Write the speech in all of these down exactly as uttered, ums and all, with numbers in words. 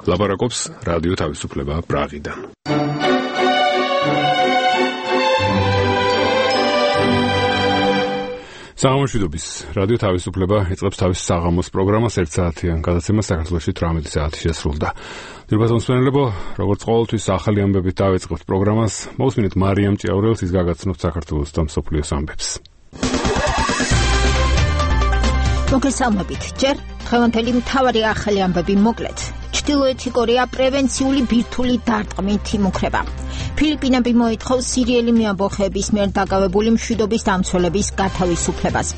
ლაპარაკობს რადიო თავისუფლება პრაღიდან. საღამოშვიდობის რადიო თავისუფლება იწყებს თავის საღამოს პროგრამას ერთ საათიან გადაცემას საქართველოში თვრამეტი საათი შესრულდა. დიახ, მოსმენელებო, როგორც ყოველთვის ახალი ამბებით დავიწყებთ პროგრამას. მოусმინეთ მარიამ ჭიაურელს, ის გაგაცნობთ საქართველოს და მსოფლიოს ამბებს. მოგესალმებით. ჯერ დღევანდელი მთავარი ახალი ამბები მოკლედ. ჩრდილოეთი კორეა პრევენციული ბირთვული დარტყმით იმუქრება. ფილიპინები მოითხოვს სირიელი მეამბოხეების მიერ დაკავებული მშვიდობის დამცველების გათავისუფლებას.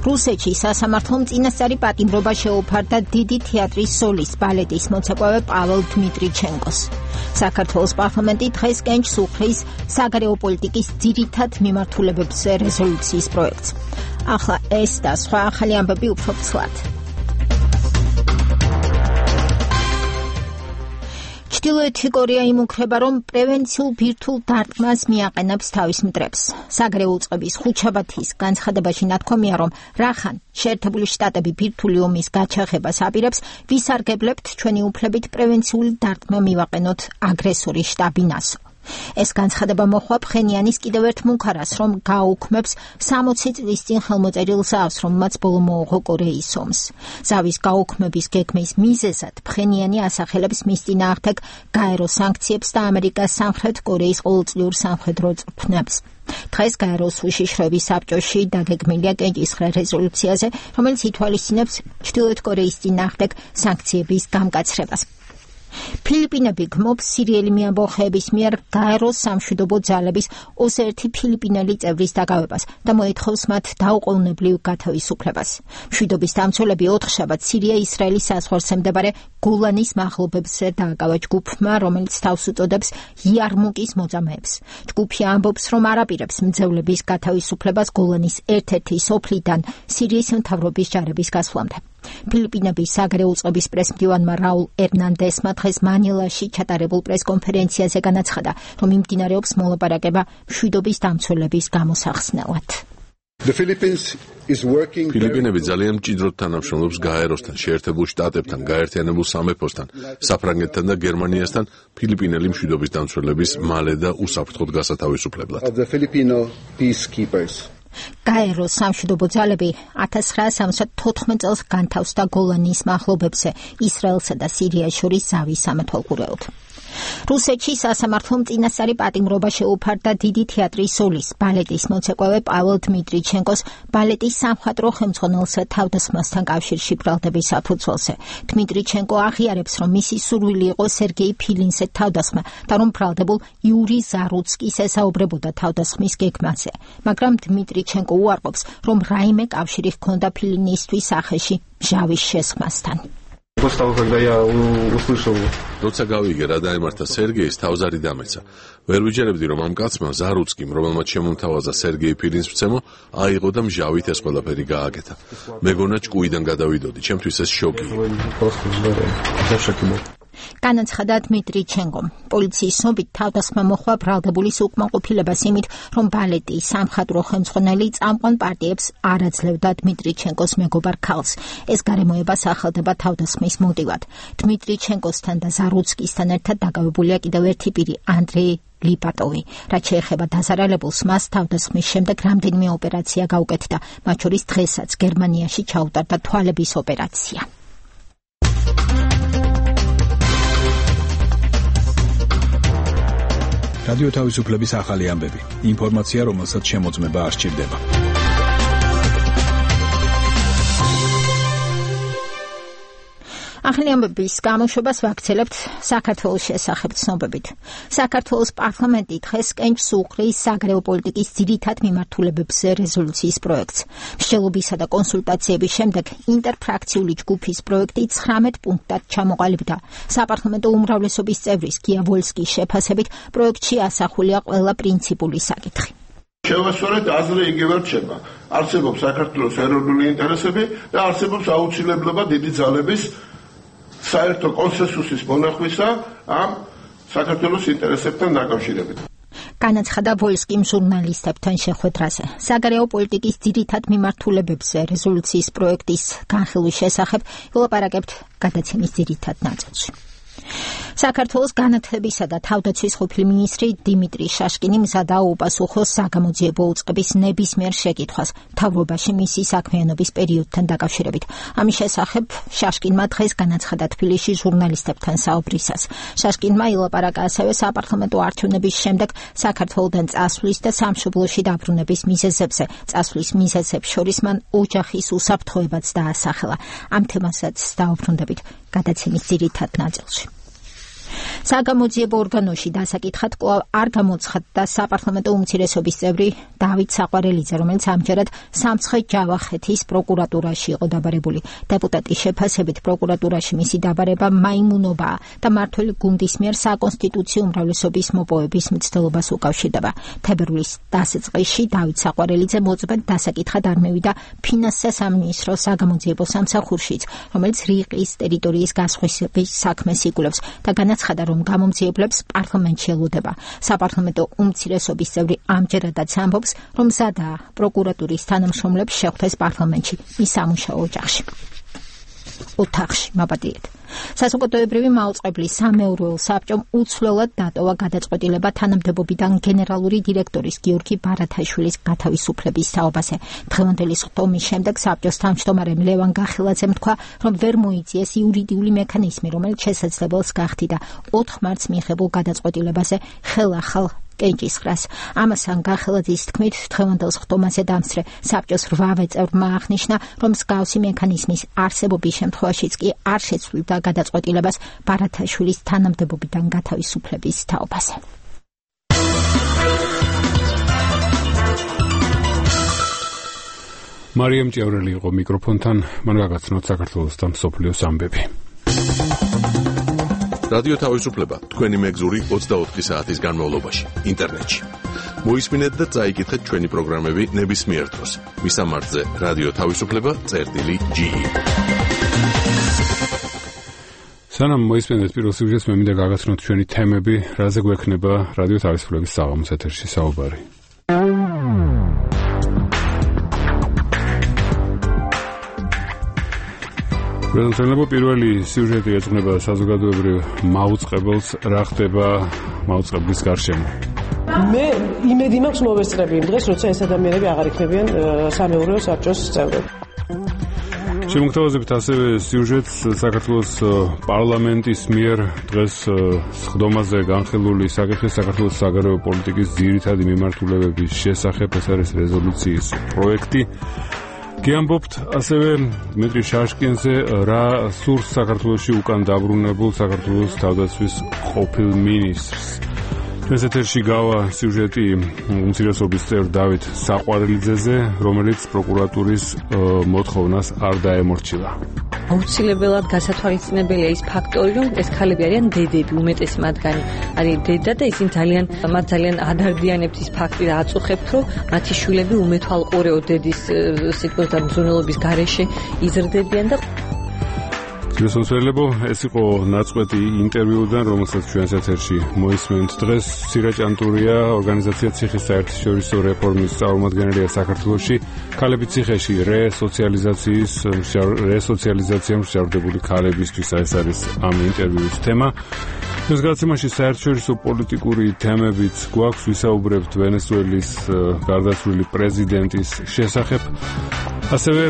რუსეთში სასამართლომ წინასწარი პატიმრობა შეუფარდა დიდი თეატრის სოლისტ ბალეტის მოცეკვავე პაվել დმიტრიჩენკოს. საქართველოს პარლამენტი დღეს კენჭს უხლის საგარეო პოლიტიკის ძირითად მიმართულებებზე რეზოლუციის პროექტს. ახლა ეს და სხვა ახალი ამბები უფრო ცვლად. ჩრდილოეთი კორეა იმუქრება, რომ პრევენციულ ბირთვულ დარტყმას მიაყენებს თავის მტრებს. საგარეო უწყების ხუთშაბათის განცხადებაში ნათქვამია, რომ რახან შეერთებული შტატები ბირთვული ომის გაჩაღებას აპირებს, ვისარგებლებთ ჩვენი უფლებით პრევენციული დარტყმა მივაყენოთ აგრესორი შტაბი ნასო. ეს განცხადება მოხდა ფხენიანის კიდევ ერთ მუქარას, რომ გააუქმებს სამოცი წლის წინ ხელმოწერილ ზავს, რომელმაც ბოლო მოუღო კორეის ომს. ზავის გაუქმების გეგმის მიზეზად ფხენიანი ასახელებს მის წინააღმდეგ გაერო სანქციებს და ამერიკას სამხრეთ კორეის ყოველწლიურ სამხედრო წვრთნებს. დღეს გაეროს უშიშროების საბჭოში დაგეგმილია კენჭისხრა რეზოლუციაზე, რომელიც ითვალისწინებს ჩრდილოეთ კორეის წინააღმდეგ სანქციების გამკაცრებას. ფილიპინები გმობს სირიელი მეამბოხეების მიერ გაეროს სამშვიდობო ძალების ოცი ერთი ფილიპინელი წევრის დაკავებას და მოითხოვს მათ დაუყოვნებლივ გათავისუფლებას. მშვიდობის დამცველები ოთხშაბათს სირია-ისრაელის საზღვარზე მდებარე გოლანის მაღლობებზე დააკავა ჯგუფმა, რომელიც თავს უწოდებს იარმუკის მოწამეებს. ჯგუფი ამბობს, რომ არ აპირებს მძევლების გათავისუფლებას გოლანის ერთ-ერთი სოფლიდან სირიის მთავრობის ჯარების გასვლამდე. ფილიპინების საგარეო უწყების პრესმდივანმა რაულ ერნანდესმა დღეს მანილაში ჩატარებულ პრესკონფერენციაზე განაცხადა, რომ მიმდინარეობს მოლაპარაკება მშვიდობის დამცველების გამოსახსნელად. ფილიპინები ძალიან მჭიდროდ თანამშრომლობს გაეროსთან, შეერთებულ შტატებთან, გაერთიანებულ სამეფოსთან, საფრანგეთთან და გერმანიასთან ფილიპინელი მშვიდობის დამცველების მალე და უსაფრთხოდ გასათავისუფლებლად. გაეროს სამშვიდობო ძალები ათას ცხრაასი სამოცდა თოთხმეტ წელს განთავსდა გოლანის მაღლობებზე ისრაელსა და სირიას შორის ზავის სამეთვალყურეოდ. რუსეთში სასამართლომ წინასწარი პატიმრობა შეუფარდა დიდი თეატრის სოლისტ ბალეტის მოცეკვავე პაվել დმიტრიჩენკოს ბალეტის სამხატვრო ხელმძღვანელსა თავდასხმასთან კავშირში ბრალდების საფუძველზე. დმიტრიჩენკო აღიარებს, რომ მისი სურვილი იყო სერგეი ფილინზე თავდასხმა და რომ ბრალდებულ იური ზარუცკის ესაუბრებოდა თავდასხმის გეგმაზე. მაგრამ დმიტრიჩენკო უარყოფს, რომ რაიმე კავშირი ჰქონდა ფილინისთვის სახეში მჟავის შესხმასთან. როცა გავიგე რა დაემართა სერგეის, თავზარი დამეცა. ვერ ვიჯერებდი, რომ ამ კაცმა ზარუცკიმ, რომელმაც შემომთავაზა სერგეი ფილინს მცემო, აიღო და მჟავით ეს ყველაფერი გააკეთა. მეგონა ჭკუიდან გადავიდოდი, ჩემთვის ეს შოკი. განაცხადა დმიტრიჩენკომ. პოლიციის ცნობით თავდასხმა მოხდა ბრალდებულის უკმაყოფილებას იმით, რომ ბალეტის სამხატვრო ხელმძღვანელი წამყვან პარტიებს არ აძლევდა დმიტრიჩენკოს მეგობარ ქალს. ეს გარემოება სახელდება თავდასხმის მოტივად. დმიტრიჩენკოსთან და ზარუცკისთან ერთად დაკავებულია კიდევ ერთი პირი, ანდრეი ლიპატოვი. რაც შეეხება დაზარალებულს, მას თავდასხმის შემდეგ რამდენიმე ოპერაცია გაუკეთდა, მათ შორის დღესაც გერმანიაში ჩაუტარდა თვალების ოპერაცია. რადიო თავისუფლების ახალი ამბები. ინფორმაცია, რომელსაც შემოწმება არ სჭირდება. ახალი ამბების გამოშვებას ვაქცელებთ საქართველოს შესახებ ცნობებით. საქართველოს პარლამენტი დღეს კენჭს უხლის საგარეო პოლიტიკის ძირითად მიმართულებებზე რეზოლუციის პროექტს. მსჯელობისა და კონსულტაციების შემდეგ ინტერფრაქციული ჯგუფის პროექტი ცხრამეტ პუნქტად ჩამოყალიბდა. საპარლამენტო უმრავლესობის წევრის გია ვოლსკის შეფასებით პროექტში ასახულია ყველა პრინციპული საკითხი. შევასწორეთ აზრი იგივე რჩება. არსებობს საქართველოს ეროვნული ინტერესები და არსებობს აუცილებლობა დიდი ძალების საერთო კონსენსუსის მონახვისა ამ საქართველოს ინტერესებთან დაკავშირებით. განაცხადა ვოლსკიმ ჟურნალისტებთან შეხვედრაზე. საგარეო პოლიტიკის ძირითად მიმართულებებზე რეზოლუციის პროექტის განხილვის შესახებ ვილაპარაკებთ გადაცემის ძირითად ნაწილში. საქართველოს განათლებისა და თავდაცვის ყოფილი მინისტრი დიმიტრი შაშკინი მზადა უპასუხოს საგამოძიებო უწყების ნებისმიერ შეკითხვას მთავრობაში მისი საქმიანობის პერიოდთან დაკავშირებით. ამის შესახებ შაშკინმა დღეს განაცხადა თბილისში ჟურნალისტებთან საუბრისას. შაშკინმა ილაპარაკა ასევე საპარლამენტო არჩევნების შემდეგ საქართველოდან წასვლის და სამშობლოში დაბრუნების მიზეზებზე. წასვლის მიზეზებს შორის მან ოჯახის უსაფრთხოებაც დაასახელა. ამ თემასაც დაუბრუნდებით გადაცემის ძირითად ნაწილში. საგამოძიებო ორგანოში დასაკითხად კვლავ არ გამოცხადდა საპარლამენტო უმცირესობის წევრი დავით საყვარელიძე, რომელიც ამჯერად სამცხე-ჯავახეთის პროკურატურაში იყო დაბარებული. დეპუტატის შეფასებით პროკურატურაში მისი დაბარება მაიმუნობაა და მმართველი გუნდის მიერ საკონსტიტუციო უმრავლესობის მოპოვების მცდელობას უკავშირდება. თებერვლის დასაწყისში დავით საყვარელიძე მოწმედ დასაკითხად არ მევიდა ფინანსთა სამინისტროს საგამოძიებო სამსახურშიც, რომელიც რიყის ტერიტორიის გასხვისების საქმეს იკვლევს და განაცხადა, რომ გამომძიებლებს პარლამენტში ელოდება. საპარლამენტო უმცირესობის წევრი ამჯერადაც ამბობს, რომ მზადაა პროკურატურის თანამშრომლებს შეხვდეს პარლამენტში მის სამუშაო ოჯახში. ოთახში მაპატიეთ. საზოგადოებრივი მაუწყებლის სამეურვეო საბჭომ უცვლელად დატოვა გადაწყვეტილება თანამდებობიდან გენერალური დირექტორის გიორგი ბარათაშვილის გათავისუფლების თაობაზე. დღევანდელი სხდომის შემდეგ საბჭოს თავმჯდომარემ ლევან გახელაძემ თქვა, რომ ვერ მოიწიეს იურიდიული მექანიზმი, რომელიც შესაძლებელს გახდიდა ოთხ მარტს მიღებულ გადაწყვეტილებაზე ხელახალ კენჭისყრას. ამასთან გახელაძის თქმით, დღევანდელ სხდომაზე დამსწრე საბჭოს რვავე წევრმა აღნიშნა, რომ მსგავსი მექანიზმის არსებობის შემთხვევაშიც კი არ შეცვლიდა გადაწყვეტილებას ბარათაშვილის თანამდებობიდან გათავისუფლების თაობაზე. მარიამ ჭიაურელი იყო მიკროფონთან, მან გაგაცნოთ საქართველოს და მსოფლიოს ამბები. რადიო თავისუფლება თქვენი მეგზური ოცდაოთხი საათის განმავლობაში ინტერნეტში. მოისმინეთ და წაიკითხეთ ჩვენი პროგრამები ნებისმიერ დროს. მისამართზე რადიო თავისუფლება წერტილი ჯი. სანამ მოისმინეთ პირველ სიუჟეტს, მე მინდა გაგაცნოთ ჩვენი თემები, რაზე გვექნება რადიო თავისუფლების საღამოს ეთერში საუბარი. პრეზიდენტებო პირველი სიუჟეტი ეძღვნება საზოგადოებრივ მაუწყებელს, რა ხდება მაუწყებლის გარშემო. მე იმედი მაქვს მოვესწრები იმ დღეს, როცა ეს ადამიანები აღარ იქნებიან სამეურვეო საბჭოს წევრები. შემოგთავაზებთ ასევე სიუჟეტს საქართველოს პარლამენტის მიერ დღეს სხდომაზე განხილული საკითხის საქართველოს საგარეო პოლიტიკის ძირითადი მიმართულებების შესახებ, ეს არის რეზოლუციის პროექტი. გიამბობთ ასევე დიმიტრი შაშკინზე, რა სურს საქართველოში უკან დაბრუნებულ საქართველოს თავდაცვის ყოფილ მინისტრს. ჩვენს ეთერში გავა სიუჟეტი უმცირესობის წევრ დავით საყვარელიძეზე, რომელიც პროკურატურის მოთხოვნას არ დაემორჩილა. აუცილებლად გასათვალისწინებელია ის ფაქტორი, რომ ეს ქალები არიან დედები, უმეტესი მათგანი არის დედა და ისინი ძალიან მათ ძალიან ადარდიანებთ ის ფაქტი და აწუხებთ, რომ მათი შვილები უმეთვალყურეო დედის სიტყვის და მზრუნველობის გარეშე იზრდებიან და შესაძლებო ეს იყო ნაწყვეტი ინტერვიუდან, რომელსაც ჩვენს ეთერში მოისმენთ დღეს. სირა ჭანტურია, ორგანიზაცია ციხის საერთაშორისო რეფორმის წარმომადგენელია საქართველოში. ქალები ციხეში რესოციალიზაციის რესოციალიზაცია მსჯავრდებული ქალებისთვის, ეს არის ამ ინტერვიუს თემა. ეს გადაცემაში საერთაშორისო პოლიტიკური თემებიც გვაქვს, ვისაუბრებთ ვენესუელის გარდაცვლილი პრეზიდენტის შესახებ. ასევე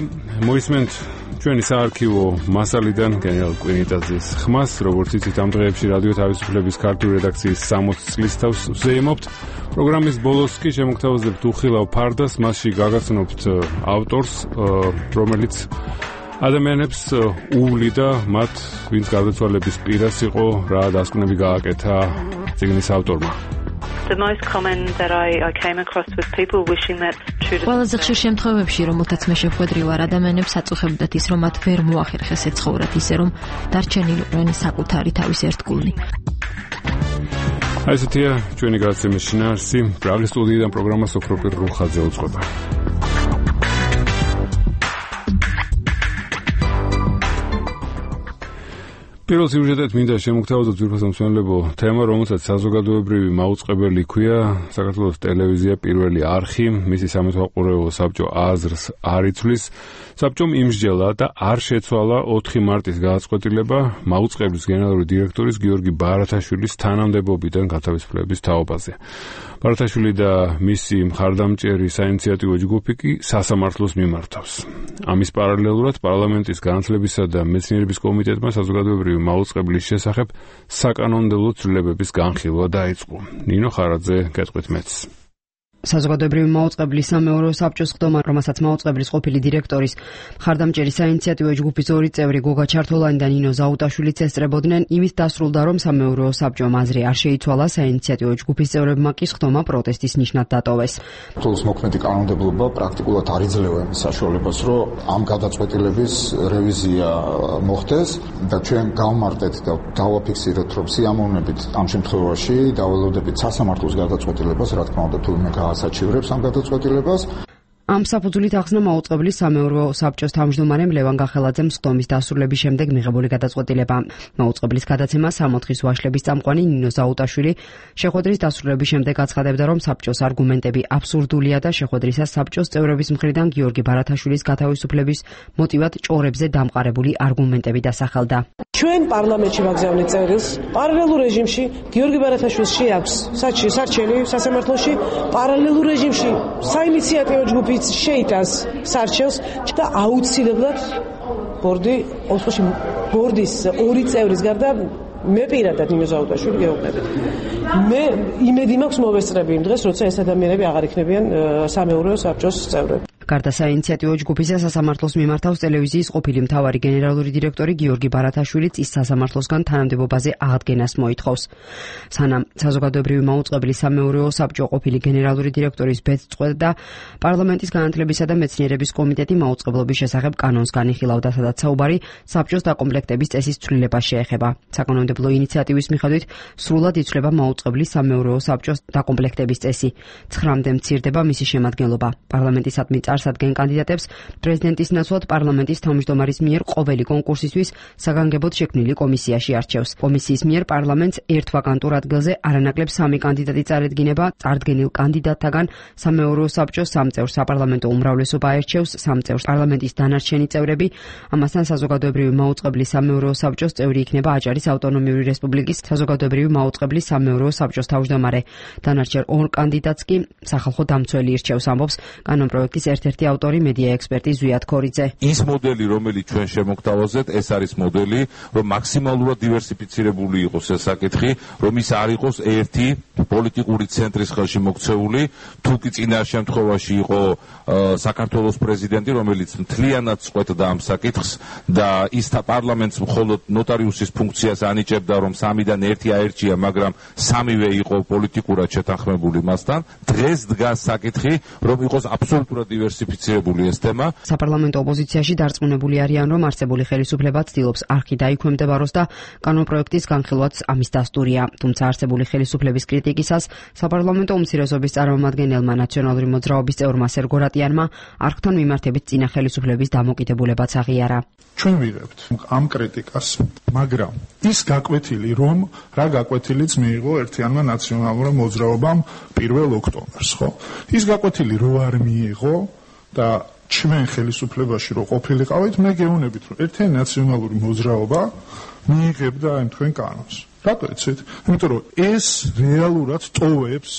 მოისმენთ ჩვენი საარქივო მასალიდან გენერალ კვინიტაძის ხმას, როგორც იცით, ამ დღეებში რადიო თავისუფლების ქართული რედაქციის სამოცი წლის თავს ვზეიმობთ. პროგრამის ბოლოს კი შემოგთავაზებთ უხილავ ფარდას, მასში გაგაცნობთ ავტორს, რომელიც ადამიანებს უვლიდა მათ, ვინც გარდაცვალების პირას იყო, რა დასკვნები გააკეთა წიგნის ავტორმა. The most common that I, I came across was people wishing that ყველაზე ხშირ შემთხვევებში, რომელთაც მე შეხვედრივარ, ადამიანებს აწუხებდათ ის, რომ მათ ვერ მოახერხეს ეცხოვრათ ისე, რომ დარჩენილიყნენ საკუთარი თავის ერთგულნი. აი ესეთია ჩვენი გადაცემის შინაარსი. პრაღის სტუდიიდან პროგრამა სოფროპირ რუხაძე უძღვება. პირველ სიუჟეტად მინდა შემოგთავაზოთ ძვირფასო მსმენელებო თემა, რომელსაც საზოგადოებრივი მაუწყებელი ქვია, საქართველოს ტელევიზია პირველი არხი, მისი სამეთვალყურეო საბჭო აზრს არ იცვლის. საბჭომ იმსჯელა და არ შეცვალა ოთხი მარტის გადაწყვეტილება მაუწყებლის გენერალური დირექტორის გიორგი ბარათაშვილის თანამდებობიდან გათავისუფლების თაობაზე. ბარათაშვილი და მისი მხარდამჭერი საინიციატივო ჯგუფი კი სასამართლოს მიმართავს. ამის პარალელურად პარლამენტის განათლებისა და მეცნიერების კომიტეტმა საზოგადოებრივი მაუწყებლის შესახებ საკანონმდებლო ცვლილებების განხილვა დაიწყო. ნინო ხარაძე გეტყვით მეც. საზოგადოებრივი მაუწყებლის სამეურვეო საბჭოს ხდომა, რომელსაც მაუწყებლის ყოფილი დირექტორის მხარდამჭერი საინიციატივო ჯგუფის ორი წევრი გოგა ჩართოლანი და ნინო ზაუტაშვილიც ესწრებოდნენ, იმით დასრულდა, რომ სამეურვეო საბჭომ აზრი არ შეიცვალა, საინიციატივო ჯგუფის წევრებმა კი ხდომა პროტესტის ნიშნად დატოვეს. თულს მოქმედი კანონმდებლობა პრაქტიკულად არ იძლევა იმის საშუალებას, რომ ამ გადაწყვეტილების რევიზია მოხდეს და ჩვენ გავმარტეთ და დავაფიქსიროთ, რომ სიამოვნებით ამ შემთხვევაში დაველოდებით სასამართლოს გადაწყვეტილებას, რა თქმა უნდა, თურმე საჩივრებს ამ გადაწყვეტილებას. ამ საფუძვლით ახსნა მაუწყებლის სამეურვეო საბჭოს თავმჯდომარემ ლევან გახელაძემ სხდომის დასრულების შემდეგ მიღებული გადაწყვეტილება. მაუწყებლის გადაცემა სამოთხის ვაშლების წამყვანი ნინო ზაუტაშვილი შეხვედრის დასრულების შემდეგ აცხადებდა, რომ საბჭოს არგუმენტები აბსურდულია და შეხვედრისას საბჭოს წევრების მხრიდან გიორგი ბარათაშვილის გათავისუფლების მოტივად ჭორებზე დამყარებული არგუმენტები დასახელდა. ჩვენ პარლამენტში ვაგზავნით წერილს, პარალელურ რეჟიმში გიორგი ბარათაშვილს შეაქვს სარჩელი სასამართლოში, პარალელურ რეჟიმში საინიციატივო ჯგუფი შეიტანს სარჩელს და აუცილებლად ბორდი ოთხში ბორდის ორი წევრის გარდა მე პირადად ნინო ზაუტაშვილი გეუბნებით. მე იმედი მაქვს მოვესწრები იმ დღეს, როცა ეს ადამიანები აღარ იქნებიან სამეურვეო საბჭოს წევრები. გარდა საინიციატივო ჯგუფისა სასამართლოს მიმართავს ტელევიზიის ყოფილი მთავარი გენერალური დირექტორი გიორგი ბარათაშვილიც ის სასამართლოსგან თანამდებობაზე აღდგენას მოითხოვს. სანამ საზოგადოებრივი მაუწყებლის სამეურვეო საბჭო ყოფილი გენერალური დირექტორის ბეწწყვეტა პარლამენტის განათლებისა და მეცნიერების კომიტეტი მაუწყებლობის შესახებ კანონს განიხილავდა, სადაც საუბარი საბჭოს დაკომპლექტების წესის ცვლილებას შეეხება. საკანონმდებლო ინიციატივის მიხედვით სრულად იცვლება მაუწყებლის სამეურვეო საბჭოს დაკომპლექტების წესი. ცხრამდე მცირდება მისი შემადგენლობა. პარლამენტისადმი წარსადგენ კანდიდატებს პრეზიდენტის ნაცვლად პარლამენტის თავმჯდომარის მიერ ყოველი კონკურსისთვის საგანგებოდ შექმნილი კომისიაში არჩევს. კომისიის მიერ პარლამენტს ერთ ვაკანტურ ადგილზე არანაკლებ სამი კანდიდატი წარედგინება. წარდგენილ კანდიდატთაგან სამეურვეო საბჭოს სამ წევრს საპარლამენტო უმრავლესობა აერჩევს, სამ წევრს პარლამენტის დანარჩენი წევრები. ამასთან საზოგადოებრივი მაუწყებლის სამეურვეო საბჭოს წევრი იქნება აჭარის ავტონომიური რესპუბლიკის საზოგადოებრივი მაუწყებლის სამეურვეო საბჭოს თავმჯდომარე. დანარჩენ ორ კანდიდატს კი სახალხო დამცველი ირჩევს, ამბობს კანონპროექტის ერთ-ერთი ავტორი მედია ექსპერტი ზვიად ქორიძე. ის მოდელი, რომელიც ჩვენ შემოგთავაზეთ, ეს არის მოდელი, რომ მაქსიმალურად დივერსიფიცირებული იყოს ეს საკითხი, რომ ის არ იყოს ერთი პოლიტიკური ცენტრის ხელში მოქცეული, თუ კი წინა შემთხვევაში იყო საქართველოს პრეზიდენტი, რომელიც მთლიანად წყვეტდა ამ საკითხს და ის პარლამენტს მხოლოდ ნოტარიუსის ფუნქციას ანიჭებდა, რომ სამიდან ერთი აერჩია, მაგრამ სამივე იყო პოლიტიკურად შეთანხმებული მასთან. დღეს დგას საკითხი, რომ იყოს აბსოლუტურად დივერსიფიცირებული ეს თემა. საპარლამენტო ოპოზიციაში დარწმუნებული არიან, რომ არსებული ხელისუფლება ცდილობს არხი დაიქვემდებაროს და კანონპროექტის განხილვაც ამის დასტურია. თუმცა არსებული ხელისუფლების კრიტიკისას საპარლამენტო უმცირესობის წარმომადგენელმა ნაციონალური მოძრაობის წევრმა სერგო რატიანმა არხთან მიმართებით წინა ხელისუფლების დამოკიდებულებაც აღიარა. ჩვენ ვიღებთ ამ კრიტიკას, მაგრამ ის გაკვეთილი, რომ რა გაკვეთილიც მიიღო ერთიანმა ნაციონალურმა მოძრაობამ პირველ ოქტომბერს, ხო? ის გაკვეთილი რო არ მიიღო და ჩვენ ხელისუფლებაში რო ყოფილიყავით, მე გეუბნებით, რომ ერთიანი ნაციონალური მოძრაობა მიიღებდა ამ თქვენ კანონს. რატო იცით? იმიტომ რომ ეს რეალურად ტოვებს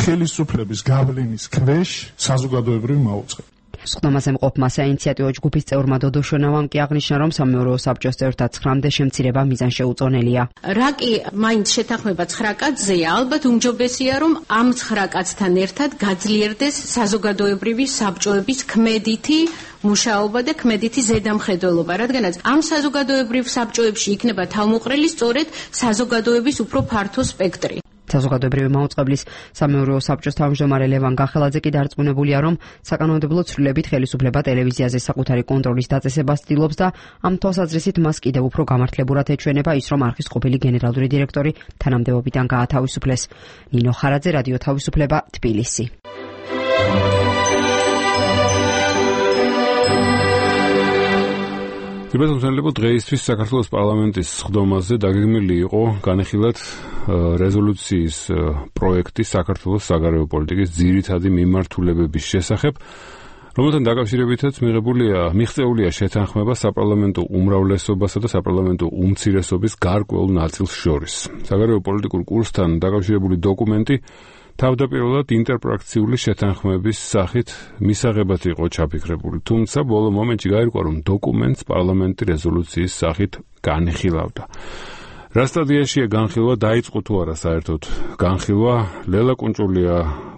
ხელისუფლების გავლენის ქვეშ საზოგადოებრივ მაუწყებლობას. სხდომაზე მყოფმა საინიციატივო ჯგუფის წევრმა დოდო შონავამ კი აღნიშნა, რომ სამეურვეო საბჭოს წევრთა ცხრამდე შემცირება მიზანშეუწონელია. რა კი მაინც შეთანხმება ცხრა კაცზეა, ალბათ უმჯობესია, რომ ამ ცხრა კაცთან ერთად გაძლიერდეს საზოგადოებრივი საბჭოების ქმედითი მუშაობა და ქმედითი ზედამხედველობა, რადგანაც ამ საზოგადოებრივ საბჭოებში იქნება თავმოყრილი სწორედ საზოგადოების უფრო ფართო სპექტრი. საზოგადოებრივი მაუწყებლის სამეურვეო საბჭოს თავმჯდომარე ლევან გახელაძე კი დარწმუნებულია, რომ საკანონმდებლო ცვლილებით ხელისუფლება ტელევიზიაზე საკუთარი კონტროლის დაწესებას ცდილობს და ამ თვალსაზრისით მას კიდევ უფრო გამართლებურად ეჩვენება ის, რომ არხის ყოფილი გენერალური დირექტორი თანამდებობიდან გაათავისუფლეს. ნინო ხარაძე, რადიო თავისუფლება, თბილისი. თუმცა დღეისთვის საქართველოს პარლამენტის სხდომაზე დაგეგმილი იყო განეხილად რეზოლუციის პროექტი საქართველოს საგარეო პოლიტიკის ძირითადი მიმართულებების შესახებ, რომელთან დაკავშირებითაც მიღებულია მიღწეულია შეთანხმება საპარლამენტო უმრავლესობასა და საპარლამენტო უმცირესობის გარკვეულ ნაწილს შორის. საგარეო პოლიტიკურ კურსთან დაკავშირებული დოკუმენტი თავდაპირველად ინტერფრაქციული შეთანხმების სახით მისაღებად იყო ჩაფიქრებული, თუმცა ბოლო მომენტში გაირკვა, რომ დოკუმენტს პარლამენტი რეზოლუციის სახით განხილავდა. რა სტადიაშია განხილვა, დაიწყო თუ არა საერთოდ განხილვა? ლელა კუნჭულია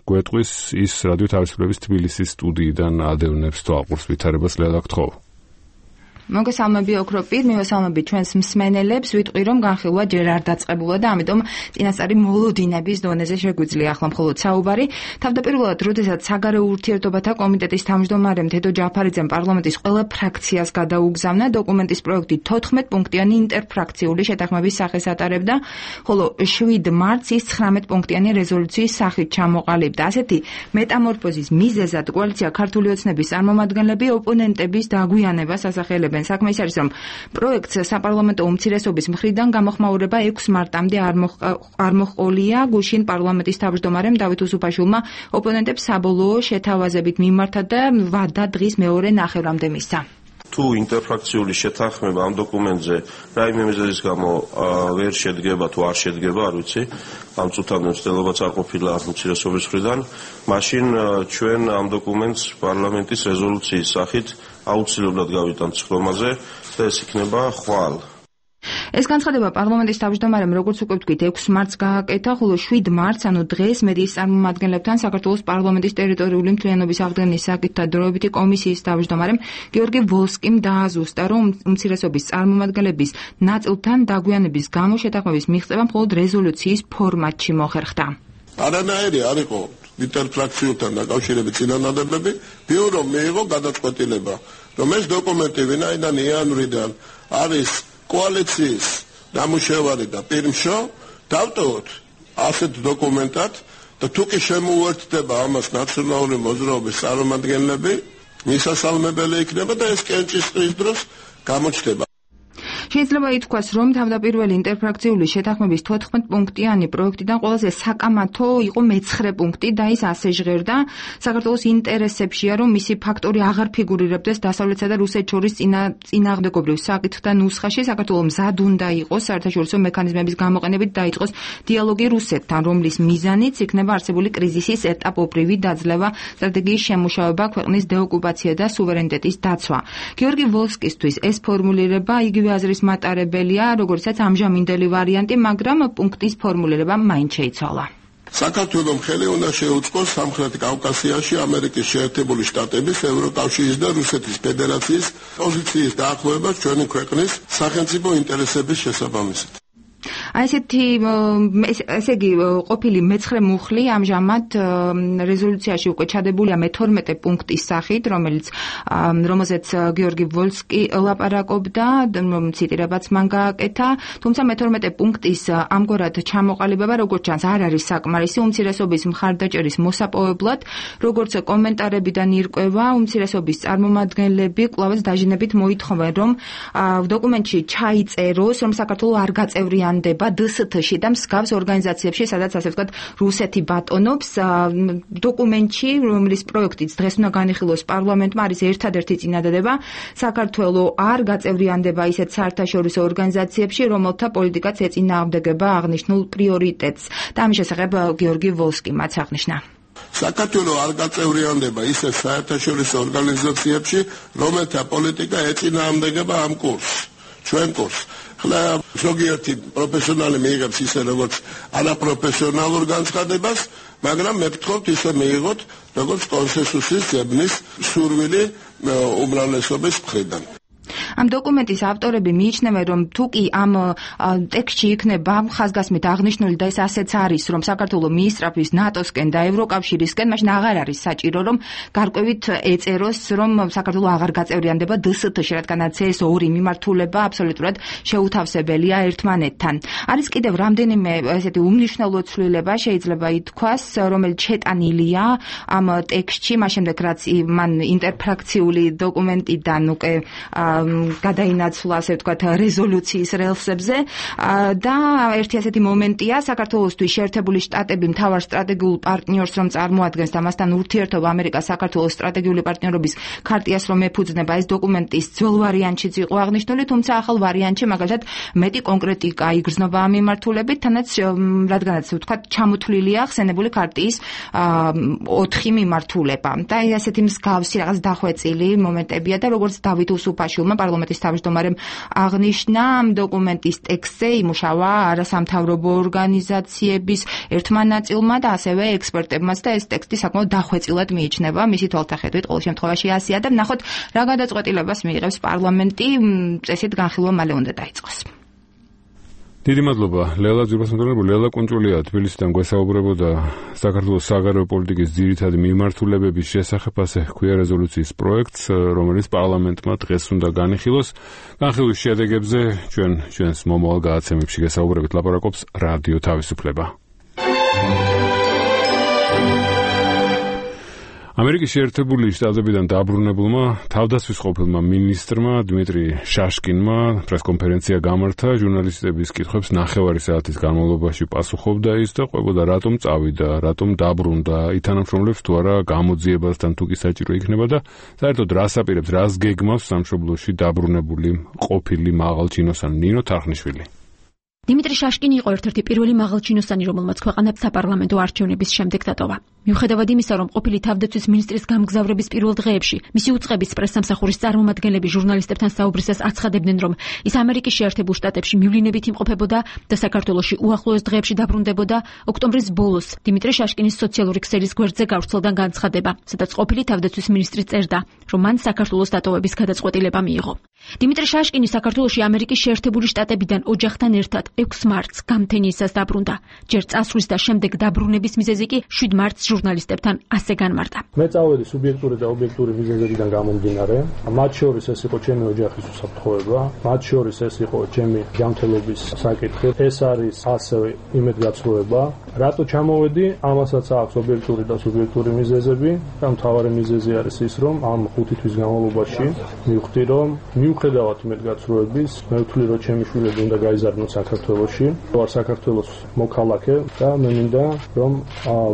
გვეტყვის, ის რადიო თავისუფლების თბილისის სტუდიიდან ადევნებს თვალყურს ვითარებას. ლელა, გთხოვ. მოგესალმები ოქროპირ, მივესალმები ჩვენს მსმენელებს, ვიტყვი რომ განხილვა ჯერ არ დაწყებულა და ამიტომ წინასწარი მოლოდინების დონეზე შეგვიძლია ახლა მხოლოდ საუბარი. თავდაპირველად, როდესაც საგარეო ურთიერთობათა კომიტეტის თავმჯდომარემ თედო ჯაფარიძემ პარლამენტის ყველა ფრაქციას გადაუგზავნა, დოკუმენტის პროექტი თოთხმეტ პუნქტიანი ინტერფრაქციული შეთანხმების სახეს ატარებდა, ხოლო შვიდ მარტს ის ცხრამეტ პუნქტიანი რეზოლუციის სახით ჩამოყალიბდა. ასეთი მეტამორფოზის მიზეზად კოალიცია ქართული ოცნების წარმომადგენლები ოპონენტების დაგვიანებას ასახელებენ. საქმე ის არის, რომ პროექტს საპარლამენტო უმცირესობის მხრიდან გამოხმაურება ექვსი მარტამდე არ მოჰყოლია. გუშინ პარლამენტის თავმჯდომარემ დავით უსუფაშვილმა ოპონენტებს საბოლოო შეთავაზებით მიმართა და ვადა დღის მეორე ნახევრამდე მისცა. თუ ინტერფრაქციული შეთანხმება ამ დოკუმენტზე რაიმე მიზეზის გამო ვერ შედგება, თუ არ შედგება, არ ვიცი, ამ წუთამდე მცდელობაც არ ყოფილა უმცირესობის მხრიდან, მაშინ ჩვენ ამ დოკუმენტს პარლამენტის რეზოლუციის სახით აუცილებლად გავიტანთ სხდომაზე და ეს იქნება ხვალ. ეს განცხადება პარლამენტის თავმჯდომარემ, როგორც უკვე ვთქვით, ექვსი მარტს გააკეთა, ხოლო შვიდ მარტს, ანუ დღეს მედიის წარმომადგენლებთან საქართველოს პარლამენტის ტერიტორიული მთლიანობის აღდგენის საკითხთა დროებითი კომისიის თავმჯდომარემ გიორგი ვოლსკიმ დააზუსტა, რომ უმცირესობის წარმომადგენლების ნაწილთან დაგვიანების გამო შეთანხმების მიღწევა მხოლოდ რეზოლუციის ფორმატში მოხერხდა. არანაირი არ იყო ინტერფრაქციულთან დაკავშირებით წინანადებები, ბიურომ მიიღო გადაწყვეტილება, რომ ეს დოკუმენტი ვინაიდან იანვრიდან არის კოალიციის ნამუშევარი და პირმშო, დავტოვოთ ასეთ დოკუმენტად და თუ კი შემოუერთდება ამას ნაციონალური მოძრაობის წარმომადგენლები, მისასალმებელი იქნება და ეს კენჭისყრის დროს გამოჩნდება. შეიძლება ითქვას, რომ თავდაპირველი ინტერფრაქციული შეთანხმების თოთხმეტ პუნქტიანი პროექტიდან ყველაზე საკამათო იყო მეცხრე პუნქტი და ის ასე ჟღერდა: საქართველოს ინტერესებშია, რომ მისი ფაქტორი აღარ ფიგურირებდეს დასავლეთსა და რუსეთს შორის წინააღმდეგობრივ საკითხთა ნუსხაში. საქართველოს მზად უნდა იყოს საერთაშორისო მექანიზმების გამოყენებით დაიწყოს დიალოგი რუსეთთან, რომლის მიზანიც იქნება არსებული კრიზისის ეტაპობრივი დაძლევა, სტრატეგიის შემუშავება, ქვეყნის დეოკუპაცია და სუვერენიტეტის დაცვა. გიორგი ვოლსკისთვის ეს ფორმულირება იგივე აზრის მატარებელია, როგორცაც ამჟამინდელი ვარიანტი, მაგრამ პუნქტის ფორმულირება მაინც შეიცვალა. საქართველოს ხელი უნდა შეუწყოს სამხრეთ კავკასიაში ამერიკის შეერთებული შტატების, ევროკავშირის და რუსეთის ფედერაციის პოზიციის დაახლოება ჩვენი ქვეყნის სახელმწიფო ინტერესების შესაბამისად. აი ესეთი ესე იგი ყოფილი მეცხრე მუხლი ამჟამად რეზოლუციაში უკვე ჩადებულია მეთორმეტე პუნქტის სახით, რომელიც რომელზეც გიორგი ვოლსკი ლაპარაკობდა, ციტირებაც მან გააკეთა, თუმცა მეთორმეტე პუნქტის ამგვარად ჩამოყალიბება, როგორც ჩანს, არ არის საკმარისი უმცირესობის მხარდაჭერის მოსაპოვებლად, როგორც კომენტარებიდან ირკვევა, უმცირესობის წარმომადგენლები კვლავაც დაჟინებით მოითხოვენ, რომ დოკუმენტში ჩაიწეროს, რომ საქართველოს არ გაწევრიანდება დსთ-ში და მსგავს ორგანიზაციებში, სადაც ასე ვთქვათ, რუსეთი ბატონობს. დოკუმენტში, რომლის პროექტიც დღეს უნდა განიხილოს პარლამენტმა, არის ერთადერთი წინადადება: საქართველოს არ გაწევრიანდება ისეთ საერთაშორისო ორგანიზაციებში, რომელთა პოლიტიკაც ეწინააღმდეგება აღნიშნულ პრიორიტეტს. და ამის შესახებ გიორგი ვოლსკიმაც აღნიშნა. საქართველოს არ გაწევრიანდება ისეთ საერთაშორისო ორგანიზაციებში, რომელთა პოლიტიკა ეწინააღმდეგება ამ კურსს, ჩვენ კურსს. ხლა ზოგიერთი პროფესიონალი მიიღებს ისე როგორც არაპროფესიონალურ განცხადებას, მაგრამ მე ვთქვით ისე მიიღოთ როგორც კონსენსუსის ძებნის სურვილი უმრავლესობის მხრიდან. ამ დოკუმენტის ავტორები მიიჩნევენ, რომ თუ კი ამ ტექსტში იქნება ხაზგასმით აღნიშნული და ეს ასეც არის, რომ საქართველოს მიისწრაფვის ნატოსკენ და ევროკავშირისკენ, მაშინ აღარ არის საჭირო, რომ გარკვევით ეწეროს, რომ საქართველოს აღარ გაწევრიანდება დსთ-ში, რადგანაც ეს ორი მიმართულება აბსოლუტურად შეუთავსებელია ერთმანეთთან. არის კიდევ რამდენიმე ესეთი უმნიშვნელო ცვლილება, შეიძლება ითქვას, რომელიც შეტანილია ამ ტექსტში, მას შემდეგ რაც მან ინტერფრაქციული დოკუმენტიდან უკვე გადაინაცვლა, ასე ვთქვათ, რეზოლუციის რელსებზე და ერთი ასეთი მომენტია საქართველოსთვის შეერთებული შტატები მთავარ სტრატეგიულ პარტნიორს რომ წარმოადგენს და მასთან ურთიერთობა ამერიკას საქართველოს სტრატეგიული პარტნიორობის ქარტიას რომ ეფუძნება, ეს დოკუმენტის ძველ ვარიანტშიც იყო აღნიშნული, თუმცა ახალ ვარიანტში მაგალითად მეტი კონკრეტიკა იგრძნობა ამ მიმართულებით, თანაც რადგანაც ვთქვათ ჩამოთვლილია ხსენებული ქარტიის ოთხი მიმართულება და ასეთი მსგავსი რაღაც დახვეწილი მომენტებია და როგორც დავით უსუფაშვილმა პარლამენტის თავმჯდომარემ აღნიშნა, ამ დოკუმენტის ტექსტზე იმუშავა არასამთავრობო ორგანიზაციების ერთმა ნაწილმა და ასევე ექსპერტებმაც და ეს ტექსტი საკმაოდ დახვეწილად მიიჩნევა მისი თვალსაჩინო ყოველ შემთხვევაში ასია და ნახოთ რა გადაწყვეტილებას მიიღებს პარლამენტი, წესით განხილვა მალე უნდა დაიწყოს. დიდი მადლობა ლელა ძირფასმოწმე ლელა კუნჭულია თბილისიდან გვესაუბრებოდა საქართველოს საგარეო პოლიტიკის ძირითადი მიმართულებების შესახებ, ასე ჰქვია რეზოლუციის პროექტს, რომელიც პარლამენტმა დღეს უნდა განიხილოს. განხილვის შედეგებზე ჩვენ ჩვენს მომავალ გადაცემებში გესაუბრებით, ლაპარაკობს რადიო თავისუფლება. ამერიკის შეერთებული შტატებიდან დაბრუნებულმა თავდაცვის ყოფილმა მინისტრმა დიმიტრი შაშკინმა პრესკონფერენცია გამართა, ჟურნალისტების კითხვებს ნახევარი საათის განმავლობაში პასუხობდა ის და ყვებოდა რატომ წავიდა, რატომ დაბრუნდა, ითანამშრომლებს თუ არა გამოძიებასთან თუ კი საჭირო იქნება და საერთოდ რას აპირებს, რას გეგმავს სამშობლოში დაბრუნებული ყოფილი მაღალჩინოსანი ნინო თარხნიშვილი. დიმიტრი შაშკინი იყო ერთ-ერთი პირველი მაღალჩინოსანი, რომელმაც ქვეყანა საპარლამენტო არჩევნების შემდეგ დატოვა. მიუხედავად იმისა, რომ ყოფილი თავდაცვის მინისტრის გამგზავრების პირველ დღეებში მისი უწყების პრესსამსახურის წარმომადგენლები ჟურნალისტებთან საუბრისას აცხადებდნენ, რომ ის ამერიკის შეერთებულ შტატებში მივლინებით იმყოფებოდა და საქართველოში უახლოეს დღეებში დაბრუნდებოდა, ოქტომბრის ბოლოს დიმიტრი შაშკინის სოციალური ქსელის გვერდზე გავრცელდა განცხადება, სადაც ყოფილი თავდაცვის მინისტრი წერდა, რომ მან საქართველოს დატოვების გადაწყვეტილება მიიღო. დიმიტრი შაშკინი საქართველოში ამერიკის შეერთებული შტატებიდან ოჯახთან ერთად ექვსი მარტს გამთენიისას დაბრუნდა. ჯერ წასვლის და შემდეგ დაბრუნების მიზეზი კი შვიდ მარტს ჟურნალისტებთან ასე განმარტა. მე წავედი სუბიექტური და ობიექტური მიზეზებიდან გამომდინარე. მათ შორის ეს იყო ჩემი ოჯახის უსაფრთხოება, მათ შორის ეს იყო ჩემი ჯანმრთელობის საკითხი. ეს არის ასევე იმედგაცრუება. რატო ჩამოვედი? ამასაც აქვს ობიექტური და სუბიექტური მიზეზები და მთავარი მიზეზი არის ის, რომ ამ ხუთი თვის განმავლობაში მივხვდი, რომ მიუხედავად იმედგაცრუების, მე ვთვლი, რომ ჩემი შვილები უნდა გაიზარდნოს საქართველოში. ვარ საქართველოს მოქალაქე და მე მინდა რომ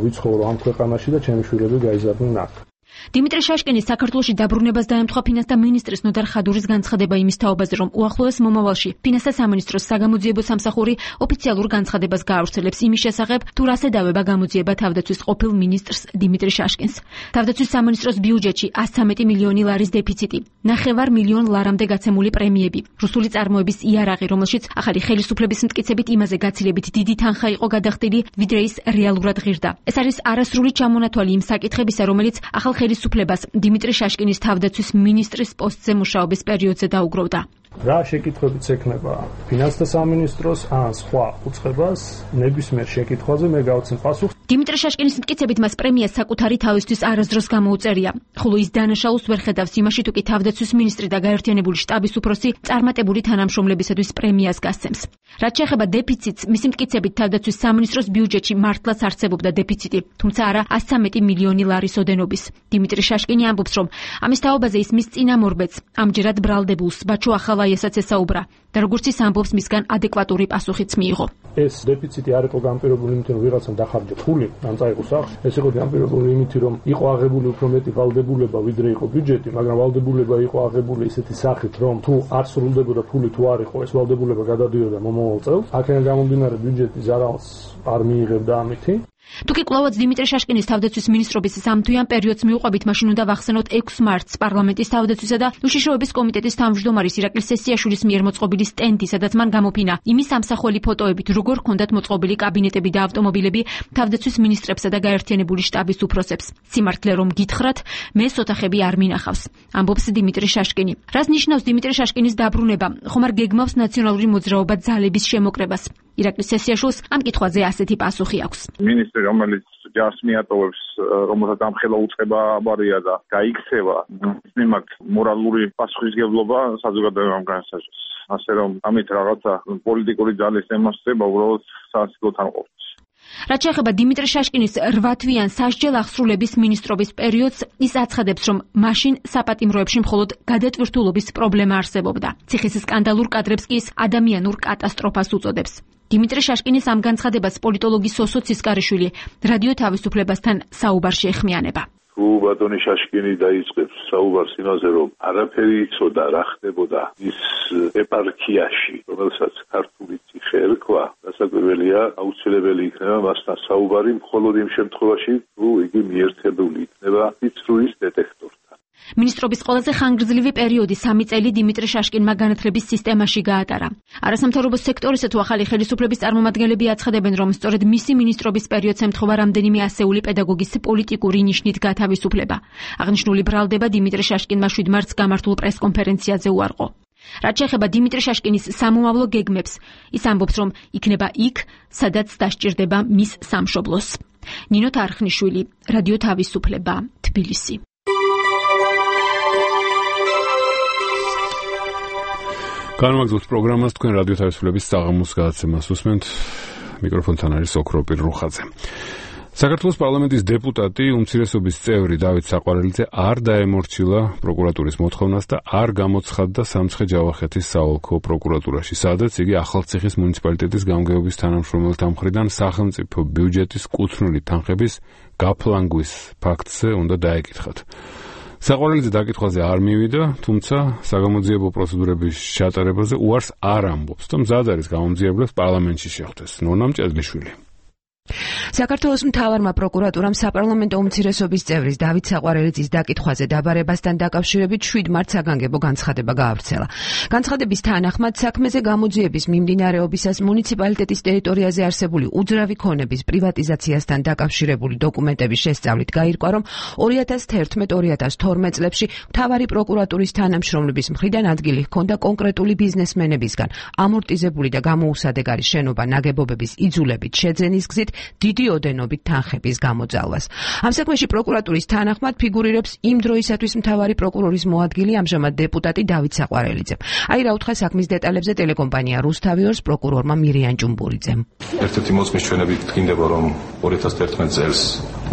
ვიცხოვრო ამ ქვეყანაში და ჩემი შვილები გაიზარდნენ აქ. დიმიტრი შაშკინის საქართველოში დაბრუნებას დაემთხვა ფინანსთა მინისტრის ნოდარ ხადურის განცხადება იმის თაობაზე, რომ უახლოეს მომავალში ფინანსთა სამინისტროს საგამოძიებო სამსახური ოფიციალურ განცხადებას გაავრცელებს იმის შესახებ, თუ რას ედავება გამოძიება თავდაცვის ყოფილ მინისტრს დიმიტრი შაშკინს. თავდაცვის სამინისტროს ბიუჯეტში ას ცხრამეტი მილიონი ლარის დეფიციტი, ნახევარ მილიონ ლარამდე გაცემული პრემიები, რუსული წარმოების იარაღი, რომელშიც ახალი ხელისუფლების მტკიცებით იმაზე გაცილებით დიდი თანხა იყო გადახდილი, ვიდრე ის რეალურად ღირდა. ეს არის არასრული ჩამონათვალი იმ საკითხებისა, რომელიც ახალ ხელისუფლებას დიმიტრი შაშკინის თავდაცვის მინისტრის პოსტზე მუშაობის პერიოდზე დაუგროვდა. რა შეკითხვებიც ექნება ფინანსთა სამინისტროს ან სხვა უწყებას, ნებისმიერ შეკითხვაზე მე გავცემ პასუხს. დიმიტრი შაშკინის მტკიცებით მას პრემიას საკუთარი თავისთვის არასდროს გამოუწერია, ხოლო ის დანაშაულს ვერ ხედავს იმაში, თუ კი თავდაცვის მინისტრი და გაერთიანებული შტაბის უფროსი წარმატებული თანამშრომლებისათვის პრემიას გასცემს. რაც შეეხება დეფიციტს, მისი მტკიცებით თავდაცვის სამინისტროს ბიუჯეტში მართლაც არსებობდა დეფიციტი, თუმცა არა ას ცხრამეტი მილიონი ლარის ოდენობის. დიმიტრი შაშკინი ამბობს, რომ ამის თაობაზე ის მის წინამორბედს, ამჯერად ბრალდებულს, ბაჩო ახალაიასაც ესაუბრა და როგორც ის ამბობს, მისგან ადეკვატური პასუხიც მიიღო. ეს დეფიციტი არ იყო განპირობებული იმით, რომ ვიღაცამ დახარჯა ფული ან წაიღო სახლში. ეს იყო განპირობებული იმით, რომ იყო აღებული უფრო მეტი ვალდებულება, ვიდრე იყო ბიუჯეტი, მაგრამ ვალდებულება იყო აღებული ისეთი სახით, რომ თუ არ სრულდებოდა ფული თუ არ იყო, ეს ვალდებულება გადადიოდა მომავალ წელს. აქედან გამომდინარე ბიუჯეტი ზარალს არ მიიღებდა ამითი. თუკი კვლავაც დიმიტრი შაშკინის თავდაცვის მინისტრობის სამთვიან პერიოდს მიუყვებით, მაშინ უნდა ვახსენოთ ექვსი მარტს პარლამენტის თავდაცვისა და უშიშროების კომიტეტის თავმჯდომარის ირაკლი სესიაშვილის მიერ მოწყობილი სტენდი, სადაც მან გამოფინა იმის ამსახველი ფოტოებით, როგორ ჰქონდათ მოწყობილი კაბინეტები და ავტომობილები თავდაცვის მინისტრებსა და გაერთიანებული შტაბის უფროსებს. სიმართლე რომ გითხრათ, მე ოთახები არ მინახავს, ამბობს დიმიტრი შაშკინი. რას ნიშნავს დიმიტრი შაშკინის დაბრუნება? ხომ არ გეგმავს ნაციონალური მოძრაობა ძალების შემოკრებას? ირაკლი სესიაშვილს ამ კითხვაზე ასეთი პასუხი აქვს. მინისტრი, რომელიც ჯარს მიატოვებს, რომელსაც ამხელა უწყება აბარია და გაიქცევა, მის მიმართ მორალური პასუხისმგებლობა საზოგადოებამ განსაზღვროს. ასე რომ ამით რაღაცა პოლიტიკური ძალის ემოსება უბრალოდ სასიკვდილო თანყოფს. რაც შეეხება დიმიტრი შაშკინის რვა თვიან სასჯელ აღსრულების მინისტრობის პერიოდს, ის აცხადებს, რომ მაშინ საპატიმროებში მხოლოდ გადატვირთულობის პრობლემა არსებობდა. ციხის სკანდალურ კადრებს კი ის ადამიანურ კატასტროფას უწოდებს. დიმიტრი შაშკინის ამ განცხადებას პოლიტოლოგი სოსო ცისკარიშვილი რადიო თავისუფლებასთან საუბარში ეხმიანება. თუ ბატონი შაშკინი დაიწყებს საუბარს იმაზე, რომ არაფერი იცოდა რა ხდებოდა ის ეპარქიაში, რომელსაც ქართული ციხე ერქვა, დასაკვირველია, აუცილებელი იქნება მასთან საუბარი მხოლოდ იმ შემთხვევაში, თუ იგი მიერთებული იქნება ფიცრუის დეტექტორთან. მინისტრობის ყველაზე ხანგრძლივი პერიოდი სამი წელი დიმიტრი შაშკინმა განათლების სისტემაში გაატარა. არასამთავრობო სექტორისა თუ ახალი ხელისუფლების წარმომადგენლები აცხადებენ, რომ სწორედ მისი მინისტრობის პერიოდს ემთხვევა რამდენიმე ასეული პედაგოგის პოლიტიკური ნიშნით გათავისუფლება. აღნიშნული ბრალდება დიმიტრი შაშკინმა შვიდ მარტს გამართულ პრესკონფერენციაზე უარყო. რაც შეეხება დიმიტრი შაშკინის სამომავლო გეგმებს, ის ამბობს, რომ იქნება იქ, სადაც დასჭირდება მის სამშობლოს. ნინო თარხნიშვილი, რადიო თავისუფლება, თბილისი. განმაგზავნებთ პროგრამას თქვენ რადიო თავისუფლების საღამოს გადაცემას უსმენთ. მიკროფონთან არის ოქროპირ რუხაძე. საქართველოს პარლამენტის დეპუტატი უმცირესობის წევრი დავით საყვარელიძე არ დაემორჩილა პროკურატურის მოთხოვნას და არ გამოცხადდა სამცხე-ჯავახეთის საოლქო პროკურატურაში, სადაც იგი ახალციხის მუნიციპალიტეტის გამგეობის თანამშრომელთა მხრიდან სახელმწიფო ბიუჯეტის კუთვნილი თანხების გაფლანგვის ფაქტზე უნდა დაეკითხათ. საყვარელიძე დაკითხვაზე არ მივიდა, თუმცა საგამოძიებო პროცედურების ჩატარებაზე უარს არ ამბობს და მზად არის გამომძიებლებს პარლამენტში შეხვდეს. ნონა მჭედლიშვილი. საქართველოს მთავარმა პროკურატურამ საპარლამენტო უმცირესობის წევრის დავით საყვარელიძის დაკითხვაზე დაბარებასთან დაკავშირებით შვიდ მარტს საგანგებო განცხადება გაავრცელა. განცხადების თანახმად საქმეზე გამოძიების მიმდინარეობისას მუნიციპალიტეტის ტერიტორიაზე არსებული უძრავი ქონების პრივატიზაციასთან დაკავშირებული დოკუმენტების შესწავლით გაირკვა, რომ ორი ათას თერთმეტ ორი ათას თორმეტ წლებში მთავარი პროკურატურის თანამშრომლების მხრიდან ადგილი ჰქონდა კონკრეტული ბიზნესმენებისგან ამორტიზებული და გამოუსადეგარი შენობა ნაგებობების იძულებით შეძენის გზით დიდი ოდენობით თანხების გამოძალვას. ამ საქმეში პროკურატურის თანახმად ფიგურირებს იმ დროისათვის მთავარი პროკურორის მოადგილე ამჟამად დეპუტატი დავით საყვარელიძე. აი რა უთხრა საქმის დეტალებზე ტელეკომპანია რუსთავიორს პროკურორმა მირიან ჭუმბურიძემ. ერთ-ერთი მოწმის ჩვენებით გქინდება, რომ ორი ათას თერთმეტ წელს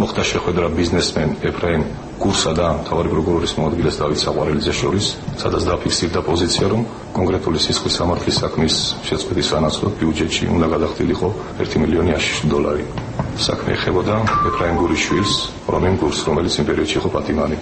მოხდა შეხვედრა ბიზნესმენ ეფრაიმ გურსა და მთავარი პროკურორის მოადგილეს დავით საყვარელიძეს შორის, სადაც დაფიქსირდა პოზიცია, რომ კონკრეტული სისხლის სამართლის საქმის შეწყვეტის სანაცვლოდ ბიუჯეტში უნდა გადახდილიყო ერთი მილიონი აშიში დოლარი. საქმე ეხებოდა ეფრაიმ გურის შვილს, რომენ გურს, რომელიც იმ პერიოდში იყო პატიმარი.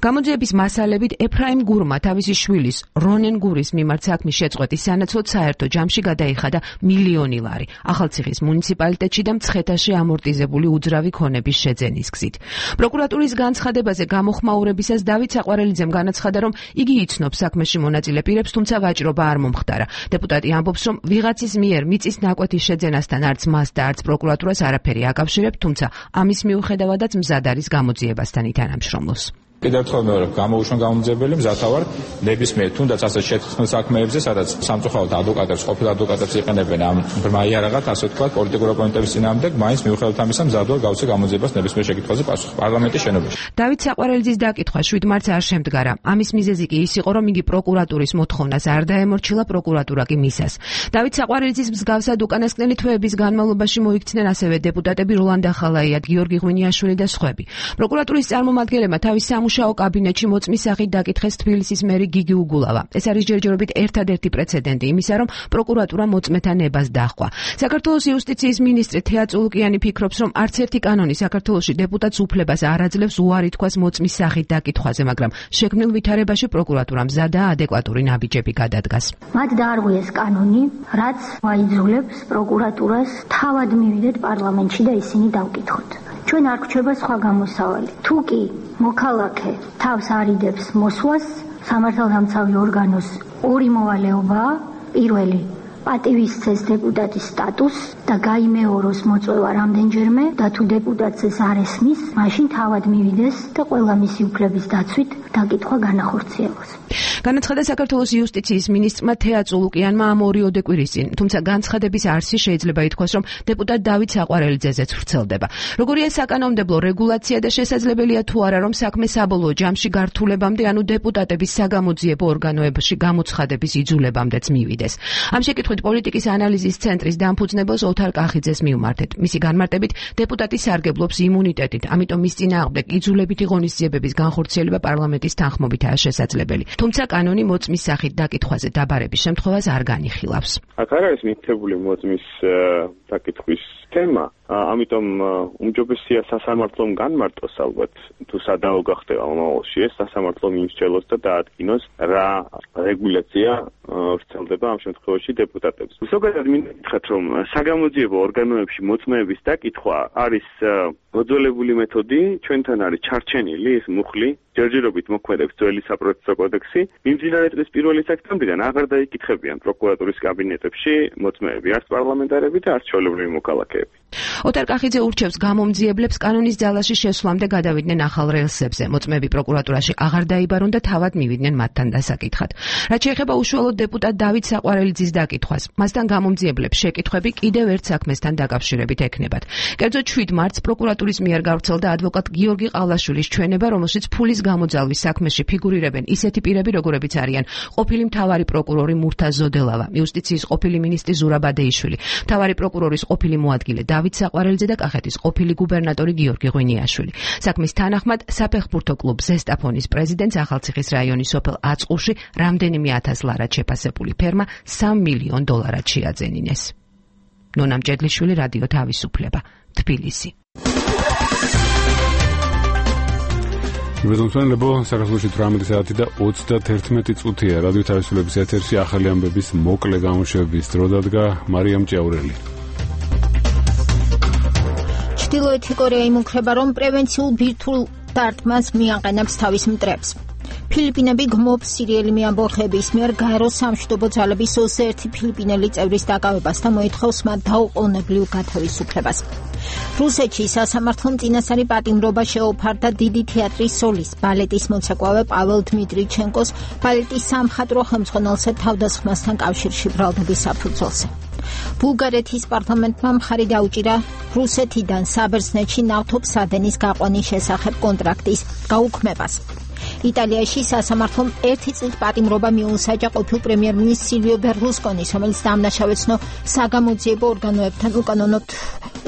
გამოძიების მასალებით ეფრაიმ გურმა თავისი შვილის რონენ გურის მიმართ საქმის შეწყვეტის სანაცვლოდ საერთო ჯამში გადაიხადა მილიონი ლარი ახალციხის მუნიციპალიტეტში და მცხეთაში ამორტიზებული უძრავი ქონების შეძენის გზით. პროკურატურის განცხადებაზე გამოხმაურებისას დავით საყვარელიძემ განაცხადა, რომ იგი იცნობს საქმეში მონაწილე პირებს, თუმცა ვაჭრობა არ მომხდარა. დეპუტატი ამბობს, რომ ვიღაცის მიერ მიწის ნაკვეთის შეძენასთან არც მას და არც პროკურატურას არაფერი აკავშირებთ, თუმცა ამის მიუხედავადაც მზად არის გამოძიებასთან ითანამშრომლოს. კიდევ ერთხელ მეორე გამოუშვან გამომძიებელი მზათა ვარ ნებისმიერ თუნდაც ასე შეთქმულ საქმეებზე, სადაც სამწუხაროდ ადვოკატებს, ყოფილ ადვოკატებს იყენებენ ამ ბრმაიარაღად, ასე ვთქვათ, პოლიტიკურ ოპონენტების წინააღმდეგ, მაინც მიუხედავად ამისა მზად ვარ გავცე გამოძიებას ნებისმიერ შეკითხვაზე პასუხი პარლამენტის შენობაში. დავით საყვარელიძის დაკითხვა შვიდ მარტს არ შემდგარა. ამის მიზეზი კი ის იყო, რომ იგი პროკურატურის მოთხოვნას არ დაემორჩილა, პროკურატურა კი მისას. დავით საყვარელიძის მსგავსად უკანასკნელი თვეების განმავლობაში მოიქცნენ ასევე დეპუტატები როლან დახალაიად, გიორგი ღვინიაშვილი და სხვები. პროკურატურის წარმომადგენლებმა თავის სამუშაო კაბინეტში მოწმის სახით დაკითხეს თბილისის მერი გიგი უგულავა. ეს არის ჯერჯერობით ერთადერთი პრეცედენტი იმისა, რომ პროკურატურა მოწმეთა ნებას დაჰყვა. საქართველოს იუსტიციის მინისტრი თეა წულუკიანი ფიქრობს, რომ არც ერთი კანონი საქართველოში დეპუტატს უფლებას არ აძლევს უარი თქვას მოწმის სახით დაკითხვაზე, მაგრამ შექმნილ ვითარებაში პროკურატურა მზადაა ადეკვატური ნაბიჯები გადადგას. მათ დაარღვიეს კანონი, რაც აიძულებს პროკურატურას თავად მივიდეთ პარლამენტში და ისინი დავკითხოთ. ჩვენ არ გვჩება სხვა გამოსავალი. თუ კი მოქალაქე თავს არიდებს მოსვას, სამართალდამცავი ორგანოს ორი მოვალეობაა. პირველი პატივისცეს დეპუტატის სტატუსს და გაიმეოროს მოწვევა რამდენჯერმე და თუ დეპუტატს ეს არ ესმის, მაშინ თავად მივიდეს და ყველა მისი უფლების დაცვით დაკითხვა განახორციელოს. განაცხადა საქართველოს იუსტიციის მინისტრმა თეაწ ულუკიანმა ამ ორი ოდეკვირის წინ, თუმცა განცხადების არსი შეიძლება ითქვას, რომ დეპუტატ დავით საყვარელიძეზეც ვრცელდება. როგორია საკანონმდებლო რეგულაცია და შესაძლებელია თუ არა, რომ საქმე საბოლოო ჯამში გართულებამდე, ანუ დეპუტატების საგამოძიებო ორგანოებში გამოცხადების იძულებამდეც მივიდეს. ამ შეკითხვით პოლიტიკის ანალიზის ცენტრის დამფუძნებელს ოთარ კახიძეს მივმართეთ. მისი განმარტებით, დეპუტატი სარგებლობს იმუნიტეტით, ამიტომ მის წინააღმდეგ იძულებითი ღონისძიებების განხორციელება პარლამენტის თანხმობითაა შესაძლებელი. თუმცა კანონი მოწმის სახით დაკითხვაზე დაბარების შემთხვევას არ განიხილავს. აქ არ არის მითებული მოწმის დაკითხვის თემა, ამიტომ უმჯობესია სასამართლომ განმარტოს ალბათ თუ სადაო გახდება მომავალში ეს სასამართლომ იმსჯელოს და დაადგინოს რა რეგულაცია ვრცელდება ამ შემთხვევაში დეპუტატებს. ზოგადად მინდა გითხრათ, რომ საგამოძიებო ორგანოებში მოწმეების დაკითხვა არის მოძველებული მეთოდი, ჩვენთან არის ჩარჩენილი ეს მუხლი, ჯერჯერობით მოქმედებს ძველი საპროცესო კოდექსი. მიმდინარე წლის პირველი სექტემბრიდან აღარ დაიკითხებიან პროკურატურის კაბინეტებში მოწმეები, არც პარლამენტარები და არც ჩვეულებრივი მოქალაქეები. ოთარ კახიძე ურჩევს გამომძიებლებს კანონის ძალაში შესვლამდე გადავიდნენ ახალ რელსებზე. მოწმეები პროკურატურაში აღარ დაიბარონ და თავად მივიდნენ მათთან დასაკითხად. რაც შეეხება უშუალოდ დეპუტატ დავით საყვარელიძის დაკითხვას, მასთან გამომძიებლებს შეკითხვები კიდევ ერთ საქმესთან დაკავშირებით ექნებათ. კერძოდ შვიდ მარტს პროკურატურის მიერ გავრცელდა ადვოკატ გიორგი ყავლაშვილის ჩვენება, რომელშიც ფულის გამოძალვის საქმეში ფიგურირებენ ისეთი პირები, როგორებიც არიან ყოფილი მთავარი პროკურორი მურთა ზოდელავა, იუსტიციის ყოფილი მინისტრი ზურაბ ადეიშვილი, მთავარი პროკურორის ყოფილი მოადგილე დავით საყვარელიძე და კახეთის ყოფილი გუბერნატორი გიორგი ღვინიაშვილი. საქმის თანახმად საფეხბურთო კლუბ ზესტაფონის პრეზიდენტს ახალციხის რაიონის სოფელ აწყურში რამდენიმე ათას ლარად შეფასებული ფერმა სამ მილიონ დოლარად შეაძენინეს. ნონა მჭედლიშვილი, რადიო თავისუფლება, თბილისი. მეზონსვენებო საქართველოში თვრამეტი საათი და ოცდათერთმეტი წუთია. რადიო თავისუფლების ეთერში ახალი ამბების მოკლე გამოშვების დრო დადგა მარიამ ჭიაურელი. ჩრდილოეთი კორეა იმუქრება, რომ პრევენციულ ბირთვულ დარტყმას მიაყენებს თავის მტრებს. ფილიპინები გმობს სირიელი მეამბოხების მიერ გაერო სამშვიდობო ძალების ოცდაერთი ფილიპინელი წევრის დაკავებას და მოითხოვს მათ დაუყოვნებლივ გათავისუფლებას. რუსეთში სასამართლომ წინასწარი პატიმრობა შეუფარდა დიდი თეატრის სოლის, ბალეტის მოცეკვავე პაվել დმიტრიჩენკოს ბალეტის სამხატვრო ხელმძღვანელზე თავდასხმასთან კავშირში ბრალდების საფუძველზე. ბულგარეთის პარლამენტმა მხარი დაუჭირა რუსეთიდან საბერძნეთში ნავთობსადენის გაყვანის შესახებ კონტრაქტის გაუქმებას. იტალიაში სასამართლომ ერთი წლით პატიმრობა მიუსაჯა ყოფილ პრემიერ-მინისტრ სილვიო ბერლუსკონის, რომელიც დამნაშავეცნო საგამოძიებო ორგანოებთან უკანონოდ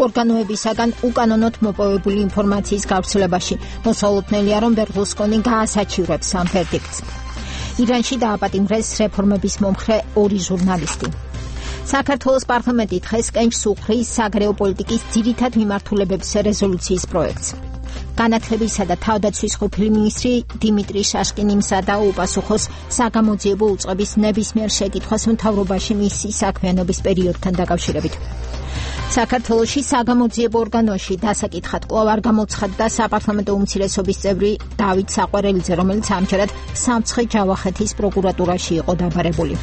ორგანოებისაგან უკანონოდ მოპოვებული ინფორმაციის გავრცელებაში. მოსალოდნელია, რომ ბერლუსკონი გაასაჩივრებს ამ ვერდიქტს. ირანში დააპატიმრეს რეფორმების მომხრე ორი ჟურნალისტი. საქართველოს პარლამენტი დღეს კენჭს უხრის საგარეო პოლიტიკის ძირითად მიმართულებებს რეზოლუციის პროექტს. განათლებისა და თავდაცვის ყოფილი მინისტრი დიმიტრი შაშკინიმსა და უპასუხოს საგამოძიებო უწყების ნებისმიერ შეკითხვას მთავრობაში მისი საქმიანობის პერიოდთან დაკავშირებით. საქართველოში საგამოძიებო ორგანოში დასაკითხად კვლავ არ გამოცხადდა საპარლამენტო უმცირესობის წევრი დავით საყვარელიძე, რომელიც ამჯერად სამცხე ჯავახეთის პროკურატურაში იყო დაბარებული.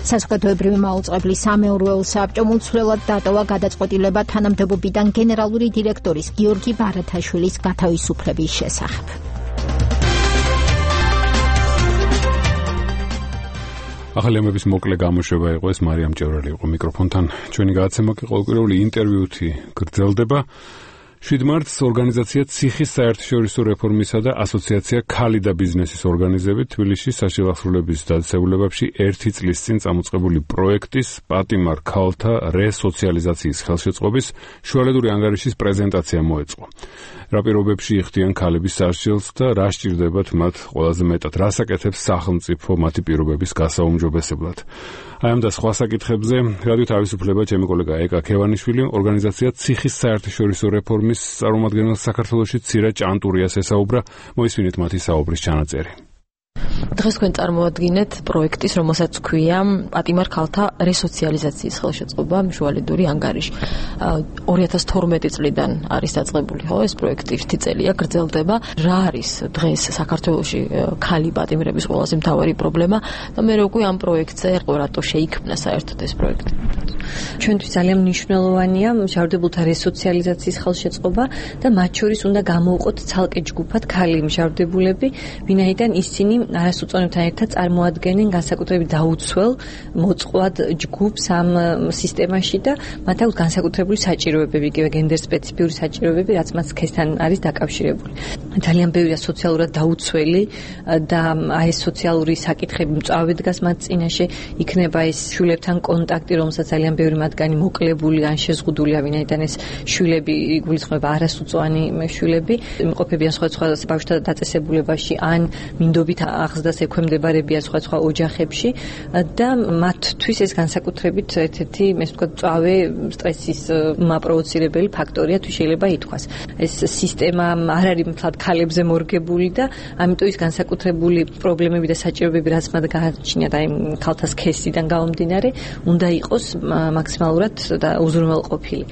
საზოგადოებრივი მაუწყებლის სამეურვეო საბჭომ უცვლელად დატოვა გადაწყვეტილება თანამდებობიდან გენერალური დირექტორის გიორგი ბარათაშვილის გათავისუფლების შესახებ. ახალი ამბების მოკლე გამოშვება იყო ეს, მარიამ ჭიაურელი იყო მიკროფონთან. ჩვენი გადაცემა კი ყოველკვირეული ინტერვიუთი გრძელდება. შვიდ მარტს ორგანიზაცია ციხის საერთაშორისო რეფორმისა და ასოციაცია ქალი და ბიზნესის ორგანიზებით თბილისში საშილახსრულების დაწესებულებებში ერთი წლის წინ წამოწყებული პროექტის პატიმარ ქალთა რესოციალიზაციის ხელშეწყობის შუალედური ანგარიშის პრეზენტაცია მოეწყო. რა პირობებში იხდიან ქალების სასჯელს და რა სჭირდებათ მათ ყველაზე მეტად, რას აკეთებს სახელმწიფო მათი პირობების გასაუმჯობესებლად. აი ამ და სხვა საკითხებზე რადიო თავისუფლება ჩემი კოლეგა ეკა ქევანიშვილი ორგანიზაცია ციხის საერთაშორისო რეფორმის წარმომადგენელ საქართველოში ცირა ჭანტურიას ესაუბრა. მოისმინეთ მათი საუბრის ჩანაწერი. დღეს თქვენ წარმოადგენთ პროექტის, რომელსაც ქვია პატიმარ ქალთა რესოციალიზაციის ხელშეწყობა შუალედური ანგარიში. ორი ათას თორმეტი წლიდან არის დაწყებული, ხო, ეს პროექტი ერთი წელია გრძელდება. რა არის დღეს საქართველოში ქალი პატიმრების ყველაზე მთავარი პრობლემა და მე როგორ ამ პროექტზე რატო შეიქმნა საერთოდ ეს პროექტი? ჩვენთვის ძალიან მნიშვნელოვანია მშავდებულთა რესოციალიზაციის ხელშეწყობა და მათ შორის უნდა გამოვყოთ ცალკე ჯგუფად ქალი მშავდებულები, ვინაიდან ისინი არასოწონებთან ერთად წარმოადგენენ განსაკუთრებით დაუცველ მოწყვლად ჯგუფს ამ სისტემაში და მათ აქვს განსაკუთრებული საჭიროებები, იგივე გენდერ სპეციფიური საჭიროებები, რაც მათ სქესთან არის დაკავშირებული. ძალიან ბევრია სოციალურად დაუცველი და აი ეს სოციალური საკითხები მწვავე დგას მათ წინაშე, იქნება ეს შვილებთან კონტაქტი, რომელსაც ძალიან ბევრი მათგანი მოკლებული ან შეზღუდულია, ვინაიდან ეს შვილები იგულისხმება არასუწოვანი შვილები, იმყოფებიან სხვადასხვა ბავშვთა დაწესებულებაში ან მინდობით აღზრდას ექვემდებარებიან სხვადასხვა ოჯახებში და მათთვის ეს განსაკუთრებით ერთ-ერთი, ესე ვთქვათ, მწვავე სტრესის მაპროვოცირებელი ფაქტორია, თუ შეიძლება ითქვას. ეს სისტემა არ არის მთლად ქალებზე მორგებული და ამიტომ ის განსაკუთრებული პრობლემები და საჭიროებები, რაც მათ გააჩნიათ აი ქალთა სქესიდან გამომდინარე, უნდა იყოს მაქსიმალურად და უზრუნველყოფილი.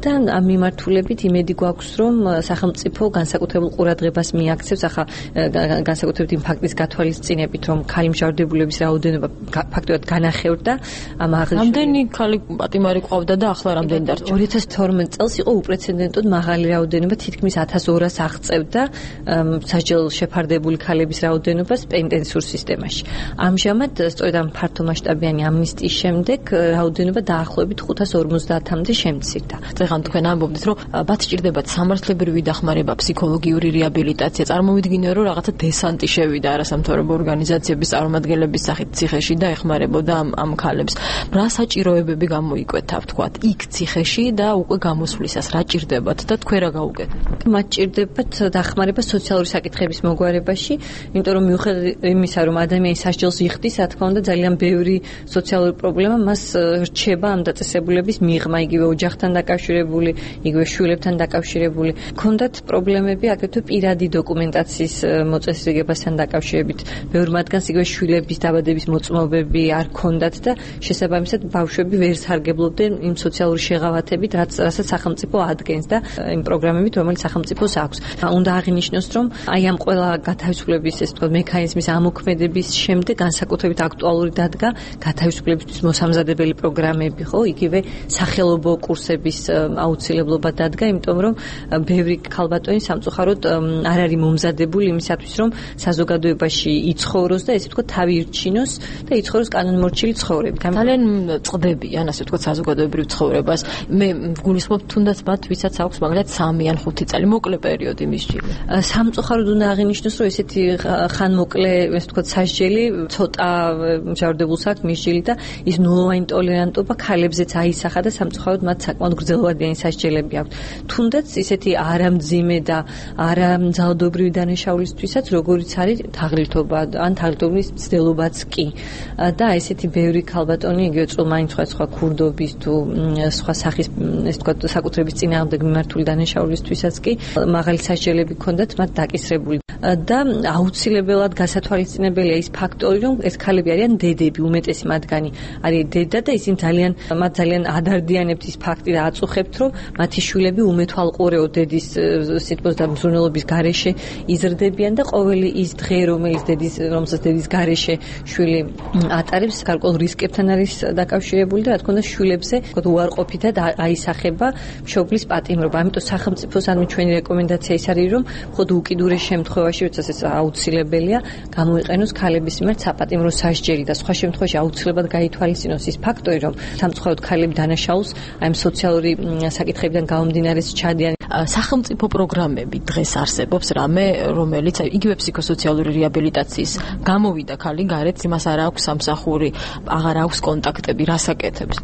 და ამ მიმართულებით იმედი გვაქვს, რომ სახელმწიფო განსაკუთრებულ ყურადღებას მიაქცევს ახლა განსაკუთრებით იმ ფაქტის გათვალისწინებით, რომ ქალი მჟავრდებულების რაოდენობა ფაქტობრივად განახევრდა ამ აღნიშნულ. რამდენი ქალი პატიმარი ყავდა და ახლა რამდენი დარჩა? ორი ათას თორმეტ წელს იყო უპრეცედენტოდ მაღალი რაოდენობა, თითქმის ათას ორას აღწევდა სასჯელ შეფარდებული ქალების რაოდენობას პენიტენციურ სისტემაში. ამჟამად სწორედ ამ ფართომასშტაბიანი ამნისტიის შემდეგ რაოდენობა დაახლოებით ხუთას ორმოცდაათამდე შემცირდა. წეგან თქვენ ამბობდით, რომ მათ სჭირდებათ სამართლებრივი დახმარება, ფსიქოლოგიური რეაბილიტაცია. წარმოვიდგინე, რომ რაღაცა დესანტი შევიდა არასამთავრობო ორგანიზაციების წარმომადგენლების სახით ციხეში და ეხმარებოდა ამ ამ ქალებს. რა საჭიროებები გამოიკვეთა, ვთქვათ, იქ ციხეში და უკვე გამოსვლისას რა ჭირდებათ და თქვენ რა გაუკეთებთ? მათ ჭირდებათ დახმარება სოციალური საკითხების მოგვარებაში, იმიტომ რომ მიუხედავად იმისა, რომ ადამიანი სასჯელს იხდის, რა თქმა უნდა, ძალიან ბევრი სოციალური პრობლემა მას რჩება ამ დაწესებულების მიღმა, იგივე ოჯახთან დაკავშირებული, იგივე შვილებთან დაკავშირებული. ქონდათ პრობლემები აგრეთვე პირადი დოკუმენტაციის მოწესრიგებასთან დაკავშირებით. ბევრ მათგანს იგივე შვილების დაბადების მოწმობები არ ქონდათ და შესაბამისად ბავშვები ვერ სარგებლობდნენ იმ სოციალური შეღავათებით, რაც რასაც სახელმწიფო ადგენს და იმ პროგრამებით, რომელიც სახელმწიფოს აქვს. უნდა აღინიშნოს, რომ აი ამ ყველა გათავისუფლების, ესე ვთქვათ, მექანიზმის ამოქმედების შემდეგ განსაკუთრებით აქტუალური დადგა გათავისუფლებისთვის მოსამზადებელი პროგრამები, ხო, იგივე სახელობო კურსების აუცილებლობა დადგა, იმიტომ რომ ბევრი ქალბატონი სამწუხაროდ არ არის მომზადებული იმისათვის, რომ საზოგადოებაში იცხოვროს და ესე ვთქვათ, თავი ირჩინოს და იცხოვროს კანონმორჩილი ცხოვრებით. ძალიან წდებიან, ასე ვთქვათ, საზოგადოებრივ ცხოვრებას. მე ვგულისხმობ თუნდაც მათ, ვისაც აქვს მაგალითად სამი ან ხუთი წელი მოკლე პერიოდი მისჯილი. სამწუხაროდ უნდა აღინიშნოს, რომ ესეთი ხანმოკლე, ესე ვთქვათ, სასჯელი ცოტა მჟავრდებულს აქვს მისჯილი და ის ნულოვანი ტოლერანტობა ქალებზეც აისახა და სამწუხაროდ მათ საკმაოდ გრძელვადიანი სასჯელები აქვს. თუნდაც ისეთი არამძიმე და არამძალადობრივი დანაშაულისთვისაც, როგორიც არის თაღლითობა ან თაღლითობის მცდელობაც კი. და ესეთი ბევრი ქალბატონი, იგივე წულმანი სხვა ქურდობის თუ სხვა სახის, ესე ვთქვათ, საკუთრების წინააღმდეგ მიმართული დანაშაულისთვისაც კი მაღალი სასჯელები ჰქონდათ მათ დაკისრებული. და აუცილებლად გასათვალისწინებელია ის ფაქტორი, რომ ეს ქალები არიან დედები, უმეტესი მათგანი არის დედა და ისინი ძალიან მათ ძალიან ადარდიანებთ ის ფაქტი და აწუხებთ, რომ მათი შვილები უმეთვალყურეო დედის სიტყვის და მზრუნველობის გარეშე იზრდებიან და ყოველი ის დღე, რომელიც დედის, რომელსაც დედის გარეშე შვილი ატარებს, გარკვეულ რისკებთან არის დაკავშირებული და რა თქმა უნდა შვილებზე თქო უარყოფითად აისახება მშობლის პატიმრობა. ამიტომ სახელმწიფოს ან ჩვენი რეკომენდაცია ის არის, რომ ხოდ უკიდურეს შემთხვევაში, როდესაც ეს აუცილებელია, გამოიყენოს ქალების მიმართ საპატიმრო სასჯელი და სხვა შემთხვევაში აუცილებლად გაითვალისწინოს ის ფაქტორი, რომ სამწუხაროდ ქალები დანაშაულს აი ამ სოციალური საკითხებიდან გამომდინარე ჩადიან. სახელმწიფო პროგრამები დღეს არსებობს რამე, რომელიც იგივე ფსიქოსოციალური რეაბილიტაციის გამოვიდა ქალი გარეთ, იმას არ აქვს სამსახური, აღარ აქვს კონტაქტები, რას აკეთებს?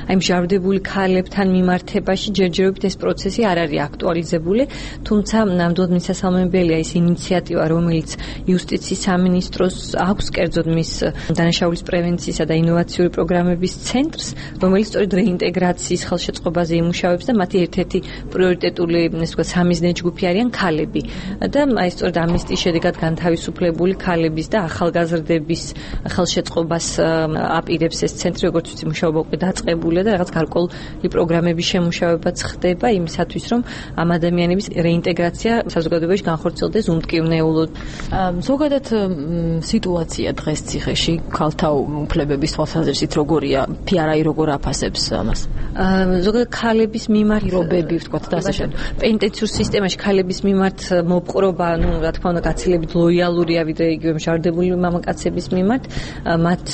აი მჟავრდებული ქალებთან მიმართებაში ჯერჯერობით ეს პროცესი არ არის აქტუალიზებული, თუმცა ნამდვილად მისასალმებელია ის ინიციატივა, რომელიც იუსტიციის სამინისტროს აქვს, კერძოდ მის დანაშაულის პრევენციისა და ინოვაციური პროგრამების ცენტრს, რომელიც სწორედ რეინტეგრაციის ხელშეწყობაზე იმუშავებს და მათი ერთ-ერთი პრიორიტეტული კონკრეტული ესე ვთქვათ სამიზნე ჯგუფი არიან ქალები და აი სწორედ ამის შედეგად განთავისუფლებული ქალების და ახალგაზრდების ხელშეწყობას აპირებს ეს ცენტრი, როგორც ვიცი, მუშაობა უკვე დაწყებულია და რაღაც გარკვეული პროგრამების შემუშავებაც ხდება იმისათვის, რომ ამ ადამიანების რეინტეგრაცია საზოგადოებაში განხორციელდეს უმტკივნეულოდ. ზოგადად სიტუაცია დღეს ციხეში ქალთა უფლებების თვალსაზრისით როგორია? ფიარაი როგორ აფასებს ამას? ზოგადად ქალების მიმართ პირობები ვთქვათ და ასე შემდეგ. პენტენციურ სისტემაში ქალების მიმართ მოპყრობა, ну, რა თქმა უნდა, გაცილებით ლოიალურია ვიდრე იგივე მშარდებული მამაკაცების მიმართ, მათ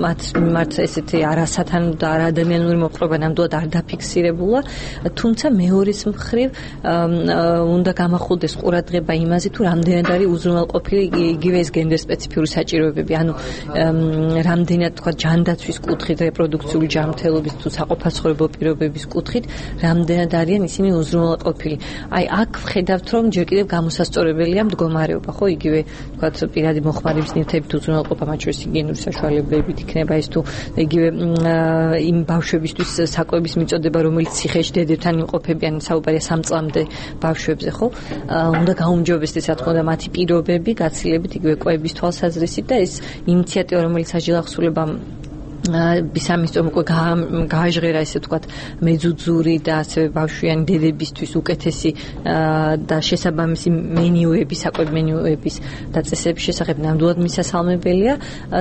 მათ მიმართ ესეთი არასათანადო და არაადამიანური მოპყრობა ნამდვილად არ დაფიქსირებულა, თუმცა მეორეს მხრივ უნდა გამახვილდეს ყურადღება იმაზე, თუ რამდენად არის უზრუნველყოფილი იგივე ეს გენდერ სპეციფიური საჭიროებები, ანუ რამდენად თქვა ჯანდაცვის კუთხით, რეპროდუქციული ჯანმრთელობის თუ საყოფაცხოვრებო პირობების კუთხით, რამდენად არიან ისინი უზრუნველყოფილი. აი აქ ვხედავთ, რომ ჯერ კიდევ გამოსასწორებელია მდგომარეობა, ხო, იგივე თქვათ პირადი მოხმარების ნივთებით უზრუნველყოფა, მათ შორის ჰიგიენური საშუალებებით იქნება ეს თუ იგივე იმ ბავშვებისთვის საკვების მიწოდება, რომელიც ციხეში დედებთან იმყოფებიან, საუბარია სამ წლამდე ბავშვებზე, ხო? უნდა გაუმჯობესდეს, რა თქმა უნდა, მათი პირობები გაცილებით იგივე კვების თვალსაზრისით და ეს ინიციატივა, რომელიც აჯილახსულებამ ბისამისწორ უკვე გააჟღერა ესე ვთქვათ მეძუძური და ასევე ბავშვიანი დედებისთვის უკეთესი და შესაბამისი მენიუების, საკვები მენიუების დაწესების შესახებ ნამდვილად მისასალმებელია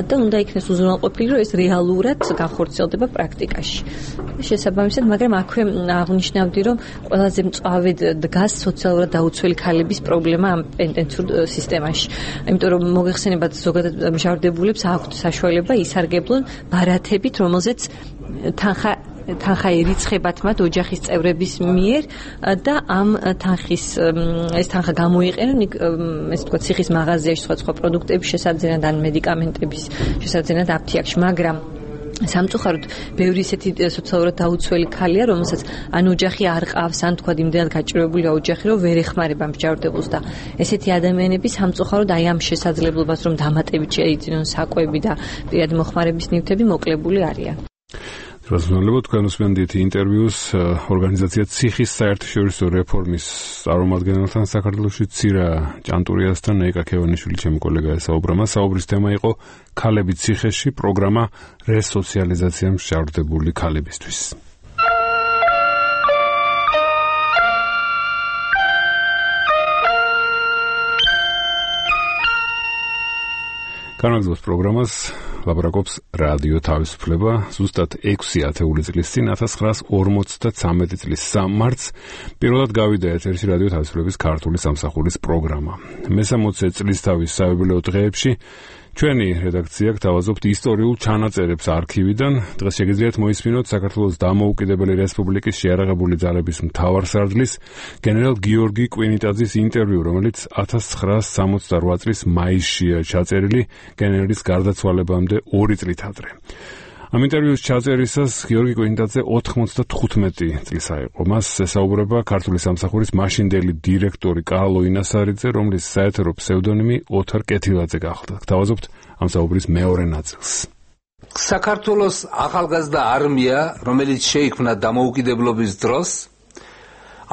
და უნდა იქნეს უზრუნველყოფილი, რომ ეს რეალურად განხორციელდება პრაქტიკაში. შესაბამისად, მაგრამ აქვე აღნიშნავდი, რომ ყველაზე მწვავედ დგას სოციალურად დაუცველი ქალების პრობლემა ამ პენტენციურ სისტემაში. იმიტომ რომ მოგეხსენებათ, ზოგადად მჟავრდებულებს აქვთ საშუალება ისარგებლონ ბარათებით, რომელზეც თანხა თანხა ერიცხებათ მათ ოჯახის წევრების მიერ და ამ თანხის ეს თანხა გამოიყენონ ეს თქვა ციხის მაღაზიაში სხვა სხვა პროდუქტების შესაძენად ან მედიკამენტების შესაძენად აფთიაქში, მაგრამ სამწუხაროდ ბევრი ისეთი სოციალურად დაუცველი ქალია, რომელსაც ან ოჯახი არ ყავს, ან თქვა იმდენად გაჭირვებულია ოჯახი, რომ ვერ ეხმარება მსჯავრდებულს და ესეთი ადამიანები სამწუხაროდ აი ამ შესაძლებლობას, რომ დამატებით შეიძინონ საკვები და პირადი მოხმარების ნივთები, მოკლებული არიან. რაზმალებო თქვენ უსმენთ ინტერვიუს ორგანიზაცია ციხის საერთაშორისო რეფორმის წარმომადგენელთან საქართველოში ცირა ჭანტურიასთან ნეიკა ქევანიშვილი ჩემი კოლეგა ესაუბრა. საუბრის თემა იყო ქალები ციხეში, პროგრამა რესოციალიზაცია მშავრდებული ქალებისთვის. განაგზავს პროგრამას ლაპარაკობს რადიო თავისუფლება ზუსტად ექვსი ათეული წლის წინ ათას ცხრაას ორმოცდათვრამეტი წლის სამი მარტს პირველად გავიდა ეთერში რადიო თავისუფლების ქართული სამსახურის პროგრამა. მესამოცდე წლისთავის საიუბილეო დღეებში ჩვენი რედაქცია გთავაზობთ ისტორიულ ჩანაწერებს არქივიდან. დღეს შეგიძლიათ მოისმინოთ საქართველოს დამოუკიდებელი რესპუბლიკის შეიარაღებული ძალების მთავარსარდლის გენერალ გიორგი კვინიტაძის ინტერვიუ, რომელიც ათას ცხრაას სამოცდარვა წლის მაისშია ჩაწერილი, გენერლის გარდაცვალებამდე ორი წლით ადრე. ამ ინტერვიუს ჩაწერისას გიორგი კვინიტაძე ოთხმოცდათხუთმეტი წლისა იყო. მას ესაუბრება ქართული სამსახურის მაშინდელი დირექტორი კარლო ინასარიძე, რომლის საეთერო ფსევდონიმი ოთარ კეთილაძე გახლდა. გთავაზობთ ამ საუბრის მეორე ნაწილს. საქართველოს ახალგაზრდა არმია, რომელიც შეიქმნა დამოუკიდებლობის დროს,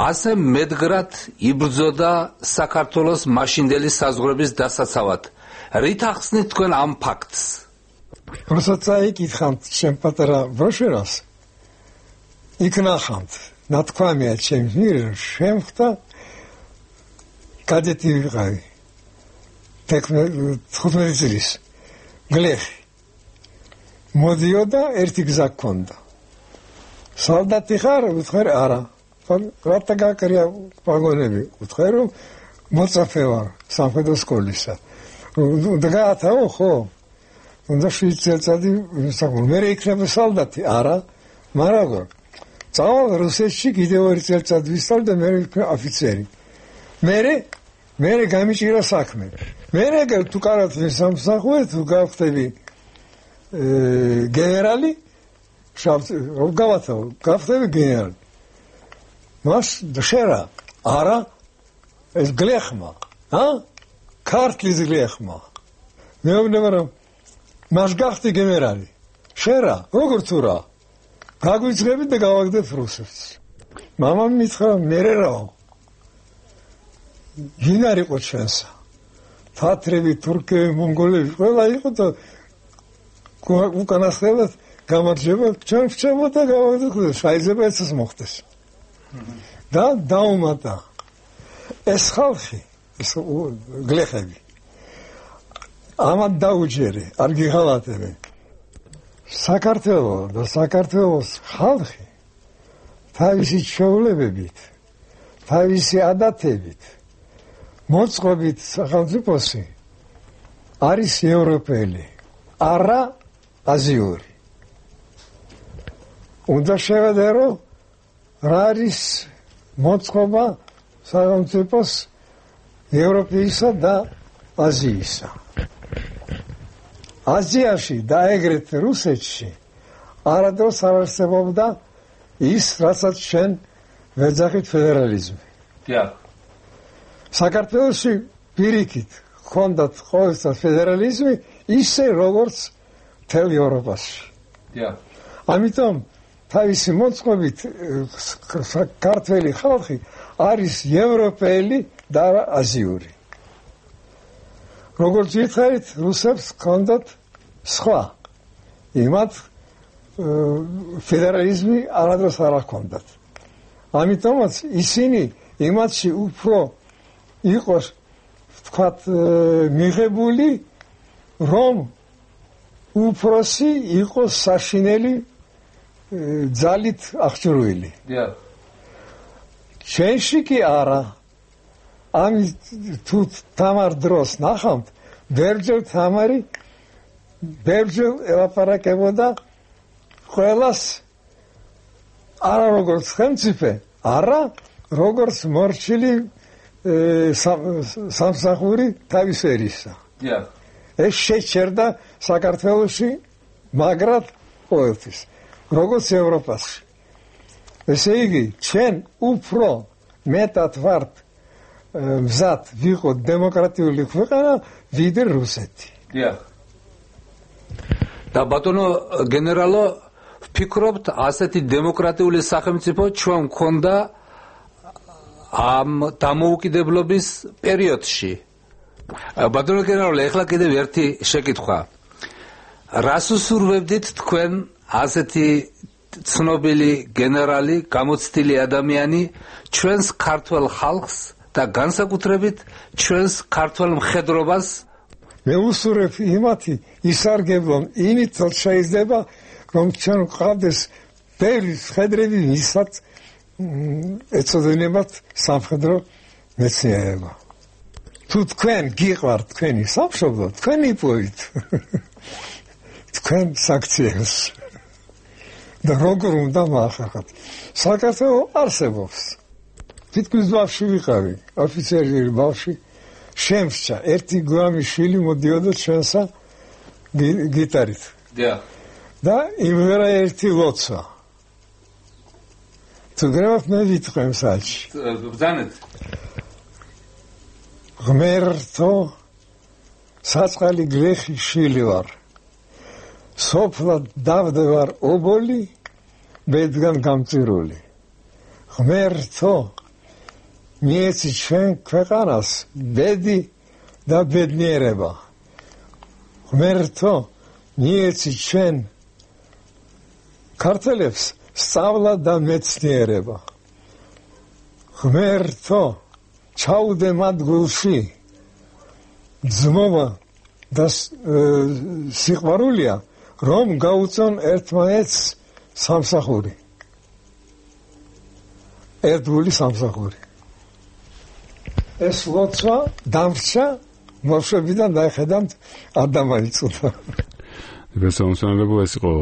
ასე მედგრად იბრძოდა საქართველოს მაშინდელი საზღვრების დასაცავად. რით ახსნით თქვენ ამ ფაქტს? როცა წაიკითხავთ ჩემ პატარა ბროშურას, იქ ნახავთ, ნათქვამია ჩემს მიერ, შემხდა კადეტი ვიყავი. თხუთმეტი წლის გლეხი. მოდიოდა, ერთი გზა გქონდა. სალდატი ხარ? უთხარ არა. რატა გაკრია ვაგონები? უთხარ რომ მოწაფე ვარ სამხედრო სკოლისა. დგაათაო ხო? უნდა შვიდ წელიწადი საკუთარ მე იქნება სალდატი არა მაგრამ წავალ რუსეთში კიდევ ორი წელიწადი ვისწავლე და მე ვიქნა ოფიცერი მე მე გამიჭირა საქმე მე თუ კარად სამსახურე თუ გავხდები გენერალი შავ გავათავ გავხდები გენერალი მას დშერა არა ეს გლეხმა ა ქართლის გლეხმა მეუბნება რომ მას გახდი გენერალი. შერა, როგორ თუ რა? გაგვიძღებით და გავაგდებ რუსეთს. მამამ მითხრა მერე რაო ვინ არ იყო ჩვენსა თათრები თურქები მონღოლები ყველა იყო და უკანასკნელად გამარჯვება ჩვენ ვწევდა გავაგზავნე შეიძლება ეცას მოხდეს და დაუმატა ეს ხალხი ეს გლეხები ამათ დაუჯერე არ გიღალატებენ საქართველოს და საქართველოს ხალხი თავისი ჩვეულებებით თავისი ადათებით მოწყობით სახელმწიფოსი არის ევროპელი არა აზიური უნდა შევედერო რა არის მოწყობა სახელმწიფოს ევროპისა და აზიისა აზიაში და ეგრეთ რუსეთში არადროს არ არსებობდა ის რასაც ჩვენ ვეძახით ფედერალიზმი დიახ საქართველოში პირიქით ჰქონდათ ყოველთვის ფედერალიზმი ისე როგორც მთელ ევროპაში დიახ ამიტომ თავისი მოწყობით ქართველი ხალხი არის ევროპელი და აზიური როგორც ვითარით რუსებს ჰქონდათ სხვა იმათ ფედერალიზმი არადროს არ ჰქონდათ ამიტომაც ისინი იმათში უფრო იყოს ვთქვათ მიღებული რომ უფროსი იყოს საშინელი ძალით აღჭურვილი დიახ ჩვენში კი არა ამით თუ თამარ დროს ნახავთ ბერჯერ თამარი ბერჯერ ელაპარაკებოდა ყველას არა როგორც ხელმწიფე არა როგორც მორჩილი სამსახური თავის ერისა დიახ ეს შეჩერდა საქართველოში მაგრად ყოველთვის როგორც ევროპაში ესე იგი ჩვენ უფრო მეტად ვართ მზად ვიყოთ დემოკრატიული ქვეყანა ვიდრე რუსეთი დიახ და ბატონო გენერალო ვფიქრობთ ასეთი დემოკრატიული სახელმწიფო ჩვენ მქონდა ამ დამოუკიდებლობის პერიოდში ბატონო გენერალო ეხლა კიდევ ერთი შეკითხვა რას უსურვებდით თქვენ ასეთი ცნობილი გენერალი გამოცდილი ადამიანი ჩვენს ქართველ ხალხს და განსაკუთრებით ჩვენს ქართველ მხედრობას მე უსურვებ იმათი ისარგებლონ იმით რომ შეიძლება რომ ჩვენ ყავდეს ბევრი მხედრები ვისაც ეწოდებათ სამხედრო მეცნიერება თუ თქვენ გიყვართ თქვენი სამშობლო თქვენ იპოვით თქვენ საქციელს და როგორ უნდა მაახერხოთ საქართველო არსებობს თითქმის ბავშვი ვიყავი ოფიცერი ბავშვი შემსჭა ერთი გვამი შვილი მოდიოდა ჩვენსა გიტარით დიახ და იმერა ერთი ლოცვა თუ გრევათ მე ვიტყვი მსაჯი ბრძანეთ ღმერთო საწყალი გლეხი შვილი ვარ სოფლად დავდევარ ობოლი ბედგან გამწირული ღმერთო მიეცი ჩვენ ქვეყანას ბედი და ბედნიერება ღმერთო მიეცი ჩვენ ქართველებს სწავლა და მეცნიერება ღმერთო ჩაუდე მათ გულში ძმობა და სიყვარულია რომ გაუწონ ერთმანეთს სამსახური ერთგული სამსახური ეს ლოცვა დამრჩა მოშებიდან დაიხედავთ არ დამაიწუთა გასაუმსონებელია ეს იყო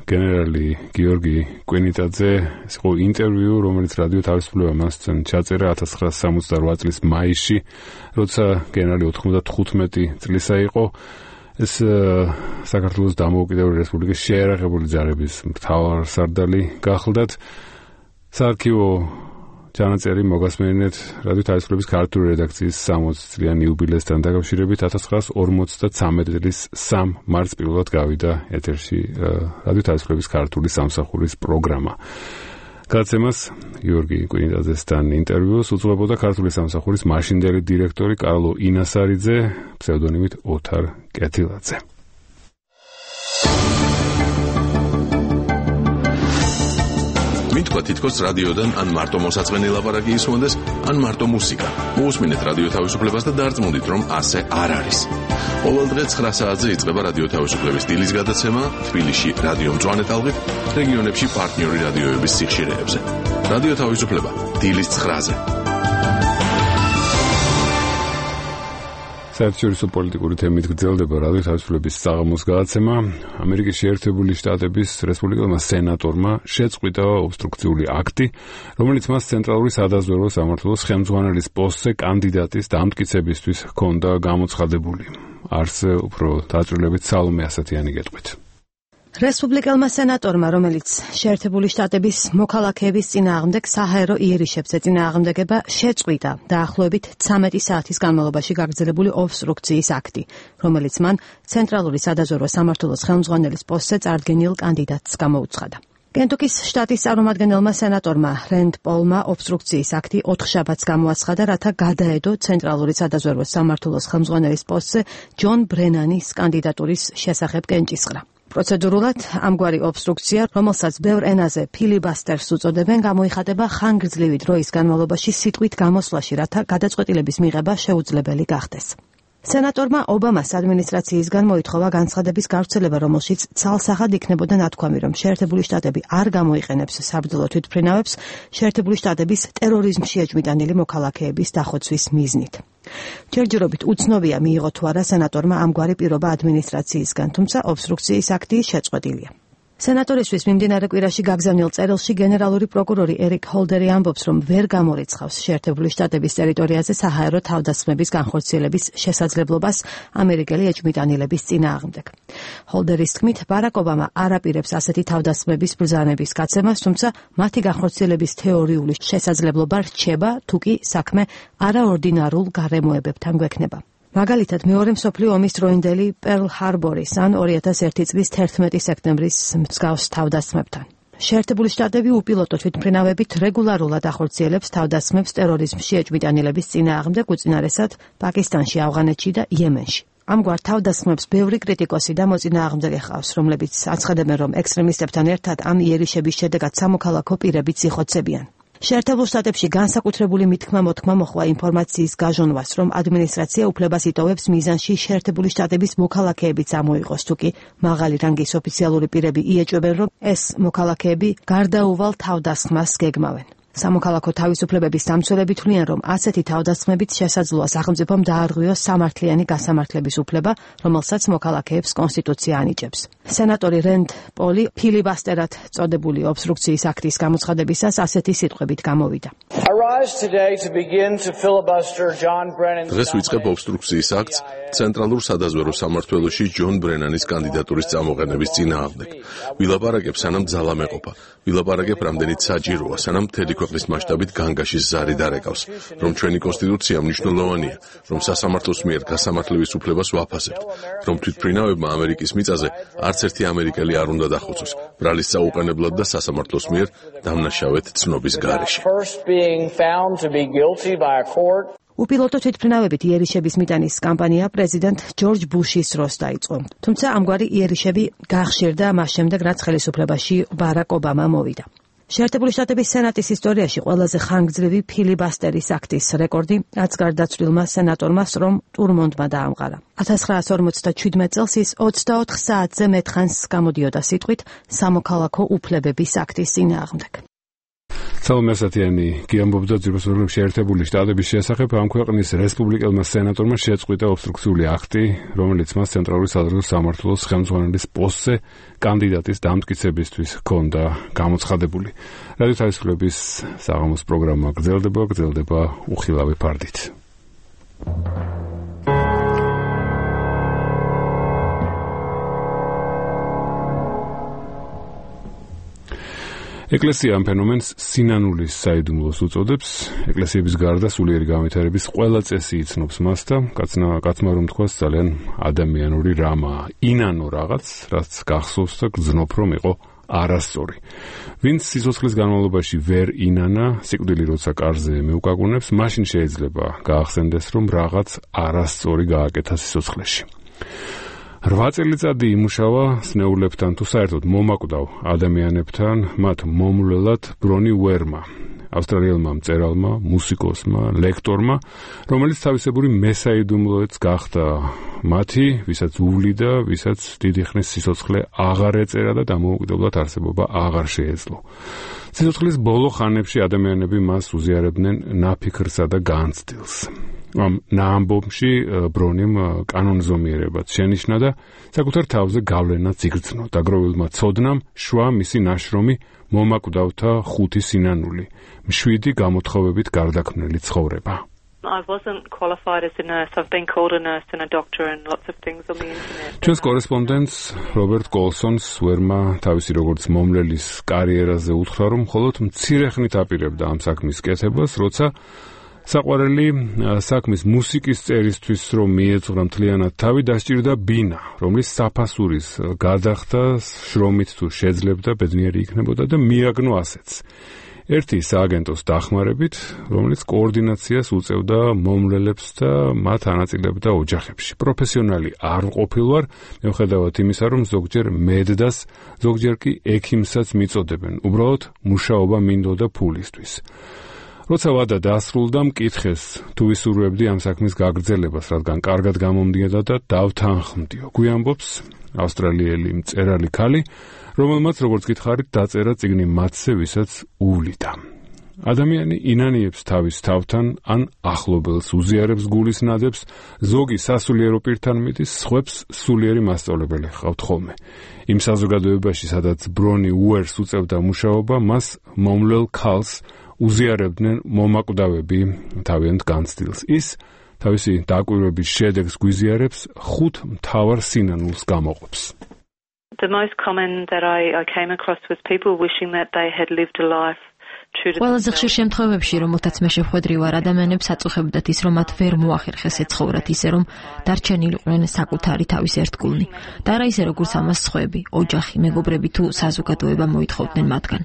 გენერალი გიორგი კვენიტაძე ეს იყო ინტერვიუ რომელიც რადიო თავისუფლება მასთან ჩაწერა ათას ცხრაასი სამოცდაოთხ წლის მაისში როცა გენერალი ოთხმოცდათხუთმეტი წლისა იყო ეს საქართველოს დამოუკიდებელი რესპუბლიკის შეიარაღებული ძალების მთავარსარდალი გახლდათ საარქივო ჩანაწერი მოგასმენინეთ რადიო თავისუფლების ქართული რედაქციის სამოცი წლიანი იუბილესთან დაკავშირებით ათას ცხრაასი ორმოცდათრამეტი წლის სამი მარტს პირველად გავიდა ეთერში რადიო თავისუფლების ქართული სამსახურის პროგრამა გადაცემას გიორგი კვინიტაძესთან ინტერვიუს უძღვებოდა ქართული სამსახურის მაშინდელი დირექტორი კარლო ინასარიძე, ფსევდონიმით ოთარ კეთილაძე. მითქვა თითქოს რადიოდან ან მარტო მოსაწყენი ლაპარაკი ისმონდეს, ან მარტო მუსიკა. მოусმინეთ რადიო თავისუფლებას და დარწმუნდით, რომ ასე არ არის. ყოველ დღე ცხრა საათზე იწყება რადიო თავისუფლების დილის გადაცემა თბილისში რადიო მწვანე ტალღით, რეგიონებში პარტნიორი რადიოების სიხშირეებზე. რადიო თავისუფლება დილის ცხრაზე. საერთაშორისო პოლიტიკური თემით გრძელდება რადიო თავისუფლების საღამოს გადაცემა. ამერიკის შეერთებული შტატების რესპუბლიკელმა სენატორმა შეწყვიტა ობსტრუქციული აქტი, რომელიც მას ცენტრალური სადაზვერვო სამმართველოს ხელმძღვანელის პოსტზე კანდიდატის დამტკიცებისთვის ჰქონდა გამოცხადებული. არც უფრო დაწვრილებით სალომე ასათიანი გეტყვით. რესპუბლიკელმა სენატორმა, რომელიც შეერთებული შტატების მოქალაქეების წინააღმდეგ საჰაერო იერიშებზე წინააღმდეგება შეწყვიტა დაახლოებით ცამეტი საათის განმავლობაში გაგრძელებული ობსტრუქციის აქტი, რომელიც მან ცენტრალური სადაზვერვო სამმართველოს ხელმძღვანელის პოსტზე წარდგენილ კანდიდატს გამოუცხადა. კენტუკის შტატის წარმომადგენელმა სენატორმა რენდ პოლმა ობსტრუქციის აქტი ოთხშაბათს გამოაცხადა, რათა გადაედო ცენტრალური სადაზვერვო სამმართველოს ხელმძღვანელის პოსტზე ჯონ ბრენანის კანდიდატურის შესახებ კენჭისყრა. პროცედურულად ამგვარი ობსტრუქცია, რომელსაც ბევრ ენაზე ფილიბასტერს უწოდებენ, გამოიხატება ხანგრძლივი დროის განმავლობაში სიტყვით გამოსვლაში, რათა გადაწყვეტილების მიღება შეუძლებელი გახდეს. სენატორმა ობამას ადმინისტრაციისგან მოითხოვა განცხადების გავრცელება, რომელშიც ცალსახად იქნებოდა ნათქვამი, რომ შეერთებული შტატები არ გამოიყენებს საბრძოლო თვითმფრინავებს შეერთებული შტატების ტერორიზმში ეჭვმიტანილი მოქალაქეების დახოცვის მიზნით. ჯერჯერობით უცნობია მიიღო თუ არა სენატორმა ამგვარი პირობა ადმინისტრაციისგან, თუმცა ობსტრუქციის აქტი შეწყვეტილია. სენატორისთვის მიმდინარე კვირაში გაგზავნილ წერილში გენერალური პროკურორი ერიკ ჰოლდერი ამბობს, რომ ვერ გამორიცხავს შეერთებული შტატების ტერიტორიაზე საჰაერო თავდასხმების განხორციელების შესაძლებლობას ამერიკელი ეჭვმიტანილების წინააღმდეგ. ჰოლდერის თქმით, ბარაკ ობამა არ აპირებს ასეთი თავდასხმების ბრძანების გაცემას, თუმცა მათი განხორციელების თეორიული შესაძლებლობა რჩება, თუკი საქმე არაორდინარულ გარემოებებთან გვექნება. მაგალითად, მეორე მსოფლიო ომის დროინდელი პერლ ჰარბორის ან ორი ათას ერთი წლის თერთმეტი სექტემბრის მსგავს თავდასხმებთან. შეერთებული შტატები უპილოტო თვითმფრინავებით რეგულარულად ახორციელებს თავდასხმებს ტერორიზმში ეჭვმიტანილების წინააღმდეგ, უწინარესად პაკისტანში, ავღანეთში და იემენში. ამგვარ თავდასხმებს ბევრი კრიტიკოსი და მოწინააღმდეგე ჰყავს, რომლებიც აცხადებენ, რომ ექსტრემისტებთან ერთად ამ იერიშების შედეგად სამოქალაქო პირებიც იხოცებიან. შეერთებულ შტატებში განსაკუთრებული მithქმა მოთქმა მოხდა ინფორმაციის გაჟონვას, რომ ადმინისტრაცია უფლებას იტოვებს მიზანში შეერთებული შტატების მოქალაქეებიც ამოიღოს, თუკი მაღალი რანგის ოფიციალური პირები იეჭვებენ, რომ ეს მოქალაქეები გარდაუვალ თავდასხმას გეგმავენ. სამოქალაქო თავისუფლებების დამცველები თვლიან, რომ ასეთი თავდასხმებით შესაძლოა სახელმწიფომ დაარღვიოს სამართლიანი გასამართლების უფლება, რომელსაც მოქალაქეებს კონსტიტუცია ანიჭებს. სენატორი რენდ პოლი ფილიბასტერად წოდებული ობსტრუქციის აქტის გამოცხადებისას ასეთი სიტყვებით გამოვიდა. დღეს ვიწყებ ობსტრუქციის აქტს ცენტრალურ სადაზვერვო სამმართველოში ჯონ ბრენანის კანდიდატურის წამოყენების წინააღმდეგ. ვილაპარაკებ, სანამ ძალა მეყოფა. ვილაპარაკებ, რამდენიც საჭიროა, სანამ მთელი ქვეყნის მასშტაბით განგაშის ზარი დარეკავს, რომ ჩვენი კონსტიტუცია მნიშვნელოვანია, რომ სასამართლოს მიერ გასამართლების უფლებას ვაფასებთ, რომ თვითმფრინავებმა ამერიკის მიწაზე არც ერთი ამერიკელი არ უნდა დახოცოს, ბრალის წაუყენებლად და სასამართლოს მიერ დამნაშავედ ცნობის გარეშე. უპილოტო თვითმფრინავებით იერიშების მიტანის კამპანია პრეზიდენტ ჯორჯ ბუშის დროს დაიწყო. თუმცა ამგვარი იერიშები გახშირდა მას შემდეგ, რაც ხელისუფლებაში ბარაკ ობამა მოვიდა. შეერთებული შტატების სენატის ისტორიაში ყველაზე ხანგრძლივი ფილიბასტერის აქტის რეკორდი რაც გარდაცვლილმა სენატორმა სრომ ტურმონდმა დაამყარა. ათას ცხრაასი ორმოცდაჩვიდმეტ წელს ის ოცდაოთხ საათზე მეთხანს გამოდიოდა სიტყვით სამოქალაქო უფლებების აქტის წინააღმდეგ. სალომე ასათიანი გიამბობდა ძირფესურების შეერთებული შტატების შესახებ, ამ ქვეყნის რესპუბლიკელმა სენატორმა შეწყვიტა ობსტრუქციული აქტი, რომელიც მას ცენტრალური სადაზვერვო სამმართველოს ხელმძღვანელის პოსტზე კანდიდატის დამტკიცებისთვის ჰქონდა გამოცხადებული. რადიო თავისუფლების საღამოს პროგრამა გრძელდება, გრძელდება უხილავი ფარდით. ეკლესია ამ ფენომენს სინანულის საიდუმლოს უწოდებს. ეკლესიების გარდა სულიერი განვითარების ყველა წესი იცნობს მას და კაცმა რომ თქვას ძალიან ადამიანური რამაა. ინანო რაღაც, რაც გახსოვს და გძნობ რომ იყო არასწორი. ვინც სიცოცხლის განმავლობაში ვერ ინანა, სიკვდილი როცა კარზე მეუკაკუნებს, მაშინ შეიძლება გაახსენდეს, რომ რაღაც არასწორი გააკეთა სიცოცხლეში. რვა წელიწადი იმუშავა სნეულებთან თუ საერთოდ მომაკვდავ ადამიანებთან, მათ მომვლელად ბრონი უერმა, ავსტრალიელმა მწერალმა, მუსიკოსმა, ლექტორმა, რომელიც თავისებური მესაიდუმლოец გახდა მათი, ვისაც უვლიდა, ვისაც დიდი ხნის სიცოცხლე აღარ ეწერა და დამოუკიდებლად არსებობა აღარ შეეძლო. სიცოცხლის ბოლო ხანებში ადამიანები მას უზიარებდნენ ნაფიქრსა და განცდილს. ამ ნაამბობში ბრონიმ კანონზომიერებად შენიშნა და საკუთარ თავზე გავლენაც იგრძნო. დაგროვილმა ცოდნამ შვა მისი ნაშრომი მომაკვდავთა ხუთი სინანული, მშვიდი გამოთხოვებით გარდაქმნილი ცხოვრება. I wasn't qualified as a nurse. I've been called a nurse and a doctor and lots of things on the internet. ჩვენს კორესპონდენტს რობერტ კოლსონს ვერმა თავისი როგორც მომლელის კარიერაზე უთხრა, რომ მხოლოდ მცირე ხნით აპირებდა ამ საქმის კეთებას, როცა საყვარელი საქმის მუსიკის წერისთვის რომ მიეძღვრა მთლიანად თავი, დასჭირდა ბინა, რომლის საფასურის გადახდა შრომით თუ შეძლებდა ბედნიერი იქნებოდა და მიაგნო ასეც. ერთი სააგენტოს დახმარებით, რომელიც კოორდინაციას უწევდა მომლელებს და მათ ანაწილებდა ოჯახებში. პროფესიონალი არ ყოფილვარ, მიუხედავად იმისა, რომ ზოგჯერ მედდას, ზოგჯერ კი ექიმსაც მიწოდებენ. უბრალოდ მუშაობა მინდოდა ფულისთვის. როცა ვადა დასრულდა, მკითხეს თუ ვისურვებდი ამ საქმის გაგრძელებას, რადგან კარგად გამომდიოდა და დავთანხმდიო. გვიამბობს ავსტრალიელი მწერალი ქალი, რომელმაც როგორც გითხარით დაწერა წიგნი მათზე, ვისაც უვლიდა. ადამიანი ინანიებს თავის თავთან ან ახლობელს, უზიარებს გულის ნადებს, ზოგი სასულიერო პირთან მიდის, სხვებს სულიერი მასწავლებელი ჰყავთ ხოლმე. იმ საზოგადოებაში, სადაც ბრონი უერს უწევდა მუშაობა, მას მომლელ ქალს უზიარებდნენ მომაკვდავები თავიანთ განცდილს. ის თავისი დაკვირვების შედეგს გვიზიარებს, ხუთ მთავარ სინანულს გამოყოფს. The most common that I, I came across was people wishing that they had lived a life true to ყველაზე ხშირ შემთხვევებში, რომელთაც მე შეხვედრი ვარ, ადამიანებს აწუხებდათ ის, რომ მათ ვერ მოახერხეს ეცხოვრათ ისე, რომ დარჩენილიყვნენ საკუთარი თავის ერთგულნი. და არა ისე, როგორც ამას სხვები, ოჯახი, მეგობრები თუ საზოგადოება მოითხოვდნენ მათგან.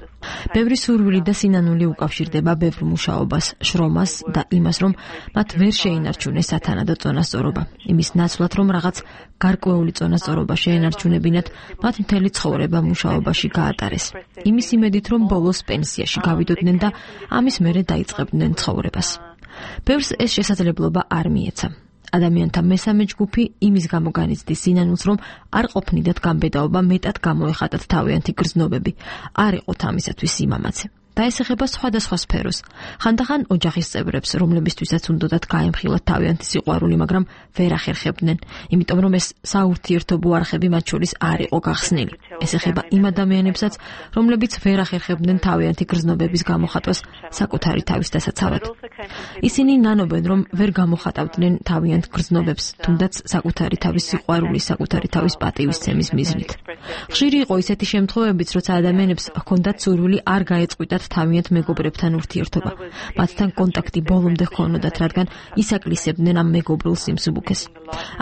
ბევრი სურვილი და სინანული უკავშირდება ბევრ მუშაობას, შრომას და იმას, რომ მათ ვერ შეინარჩუნეს სათანადო წონასწორობა. იმის ნაცვლად, რომ რაღაც გარკვეული წონასწორობა შეენარჩუნებინათ, მათ მთელი ცხოვრება მუშაობაში გაატარეს. იმის იმედით, რომ ბოლოს პენსიაში გავიდოდნენ და ამის მერე დაიწყებდნენ ცხოვრებას. ბევრს ეს შესაძლებლობა არ მიეცა. ადამიანთა მესამე ჯგუფი იმის გამო განიცდის სინანულს, რომ არ ყოფნიდათ გამბედაობა, მეტად გამოეხატათ თავიანთი გრძნობები. არ იყოთ ამისათვის სიმამაცე. და ეს ეხება სხვადასხვა სფეროს. ხანდახან ოჯახის წევრებს, რომლებისთვისაც უნდათ გაემხილათ თავიანთი სიყვარული, მაგრამ ვერ ახერხებდნენ, იმიტომ რომ ეს საურთიერთობო არხები მათ შორის არ იყო გახსნილი. ეს ეხება იმ ადამიანებსაც, რომლებიც ვერ ახერხებდნენ თავიანთი გრძნობების გამოხატვას საკუთარი თავის დასაცავად. ისინი ნანობენ, რომ ვერ გამოხატავდნენ თავიანთ გრძნობებს, თუნდაც საკუთარი თავის სიყვარულის, საკუთარი თავის პატივისცემის მიზნით. ხშირი იყო ისეთი შემთხვევებიც, როცა ადამიანებს ჰქონდათ სურვილი არ გაეწყვიტათ თავიანთ მეგობრებთან ურთიერთობა. მათთან კონტაქტი ბოლომდე ჰქონოდათ, რადგან ისაკლისებდნენ ამ მეგობრულ სიმსუბუქეს.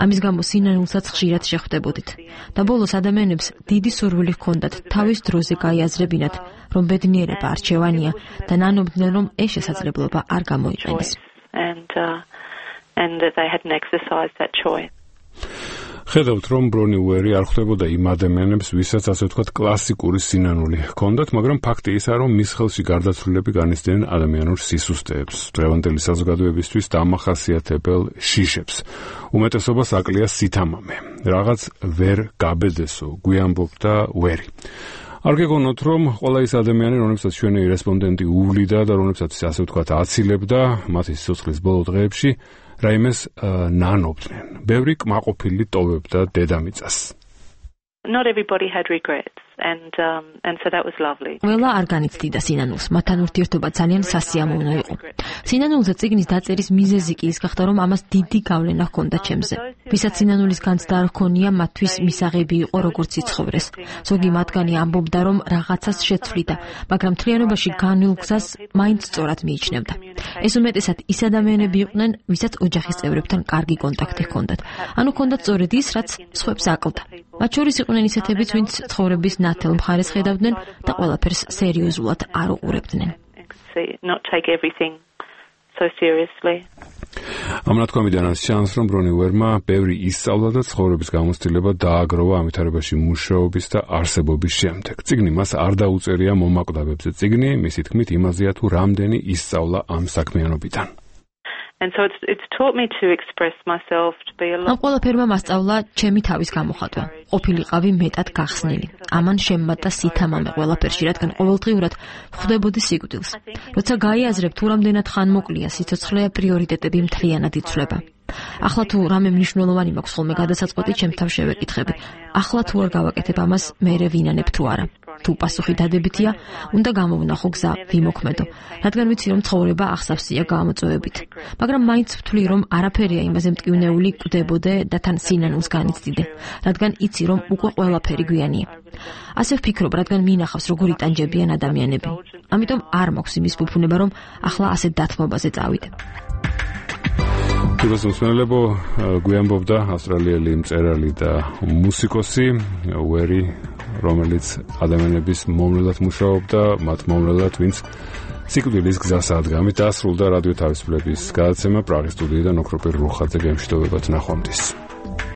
ამის გამო სინანულსაც ხშირად შეხვდებოდით. და ბოლოს ადამიანებს დიდი სურვილი ჰქონდათ თავის დროზე გაიაზრებინათ, რომ ბედნიერება არჩევანია და ნანობდნენ, რომ ეს შესაძლებლობა არ გამოიყენეს. and uh, and that they hadn't exercised that choice. ხედავთ, რომ ბრონი უერი არ ხვდებოდა იმ ადამიანებს, ვისაც ასე ვთქვათ კლასიკური სინანული ჰქონდათ, მაგრამ ფაქტი ისაა, რომ მის ხელში გარდაცვლილები განიცდიან ადამიანურ სისუსტეებს, დღევანდელი საზოგადოებისთვის დამახასიათებელ შიშებს. უმეტესობას აკლია სითამამე. რაღაც ვერ გაბედესო, გვიამბობდა უერი. არ გეგონოთ, რომ ყველა ის ადამიანი, რომლებსაც ჩვენი რესპონდენტი უვლიდა და რომლებსაც ასე ვთქვათ აცილებდა მათი სიცოცხლის ბოლო დღეებში, რაიმეს ნანობდნენ. ბევრი კმაყოფილი ტოვებდა დედამიწას. Not everybody had regrets and um and so that was lovely. ყველა არ განიცდიდა სინანულს, მათთან ურთიერთობა ძალიან სასიამოვნო იყო. სინანულზე წიგნის დაწერის მიზეზი კი ის გახდა, რომ ამას დიდი გავლენა ჰქონდა ჩემზე. ვისაც სინანულის განცდა არ ჰქონია, მათთვის მისაღები იყო როგორც იცხოვრეს. ზოგი მათგანი ამბობდა, რომ რაღაცას შეცვლიდა, მაგრამ მთლიანობაში განვლ გზას მაინც სწორად მიიჩნევდა. ეს უმეტესად ის ადამიანები იყვნენ, ვისაც ოჯახის წევრებთან კარგი კონტაქტი ჰქონდათ. ანუ ჰქონდათ სწორედ ის, რაც სხვებს აკლდა. მათ შორის იყვნენ ისეთებიც, ვინც ცხოვრების ნათელ მხარეს ხედავდნენ და ყველაფერს სერიოზულად არ უყურებდნენ. Not take everything so seriously. ამ ნათქვამიდანაც ჩანს, რომ ბრონი უერმა ბევრი ისწავლა და ცხოვრების გამოცდილება დააგროვა ამ ვითარებაში მუშაობის და არსებობის შემდეგ. წიგნი მას არ დაუწერია მომაკვდავებზე. წიგნი, მისი თქმით, იმაზეა თუ რამდენი ისწავლა ამ საქმიანობიდან. And so it's it's taught me to express myself to be a lot. ამ ყველაფერმა მასწავლა ჩემი თავის გამოხატვა. ყოფილიყავი მეტად გახსნილი. ამან შემმატა სითამამე ყველაფერში, რადგან ყოველდღიურად ხვდებოდი სიკვდილს. როცა გაიაზრებ თუ რამდენად ხანმოკლეა სიცოცხლე, პრიორიტეტები მთლიანად იცვლება. ახლა თუ რამე მნიშვნელოვანი მაქვს ხოლმე გადასაწყვეტი, ჩემ თავ შევეკითხები. ახლა თუ არ გავაკეთებ ამას, მერე ვინანებ თუ არა. თუ პასუხი დადებითია, უნდა გამოვნახო გზა, ვიმოქმედო, რადგან ვიცი რომ ცხოვრება ახსავსია გამოწვევებით. მაგრამ მაინც ვთვლი რომ არაფერია იმაზე მტკივნეული კვდებოდე და თან სინანულს განიცდიდე, რადგან იცი რომ უკვე ყველაფერი გვიანია. ასე ვფიქრობ, რადგან მინახავს როგორ იტანჯებიან ადამიანები. ამიტომ არ მაქვს იმის ფუფუნება რომ ახლა ასე დათმობაზე წავიდე. Თვითონ მსმენელებო, გვიანბობდა ავსტრალიელი მწერალი და მუსიკოსი უერი, რომელიც ადამიანების მომვლელად მუშაობდა, მათ მომვლელად, ვინც სიკვდილის გზას ადგამით დასრულდა რადიო თავისუფლების გადაცემა პრაღის სტუდიიდან ოქროპირ რუხაძე გემშვიდობებად ნახვამდის.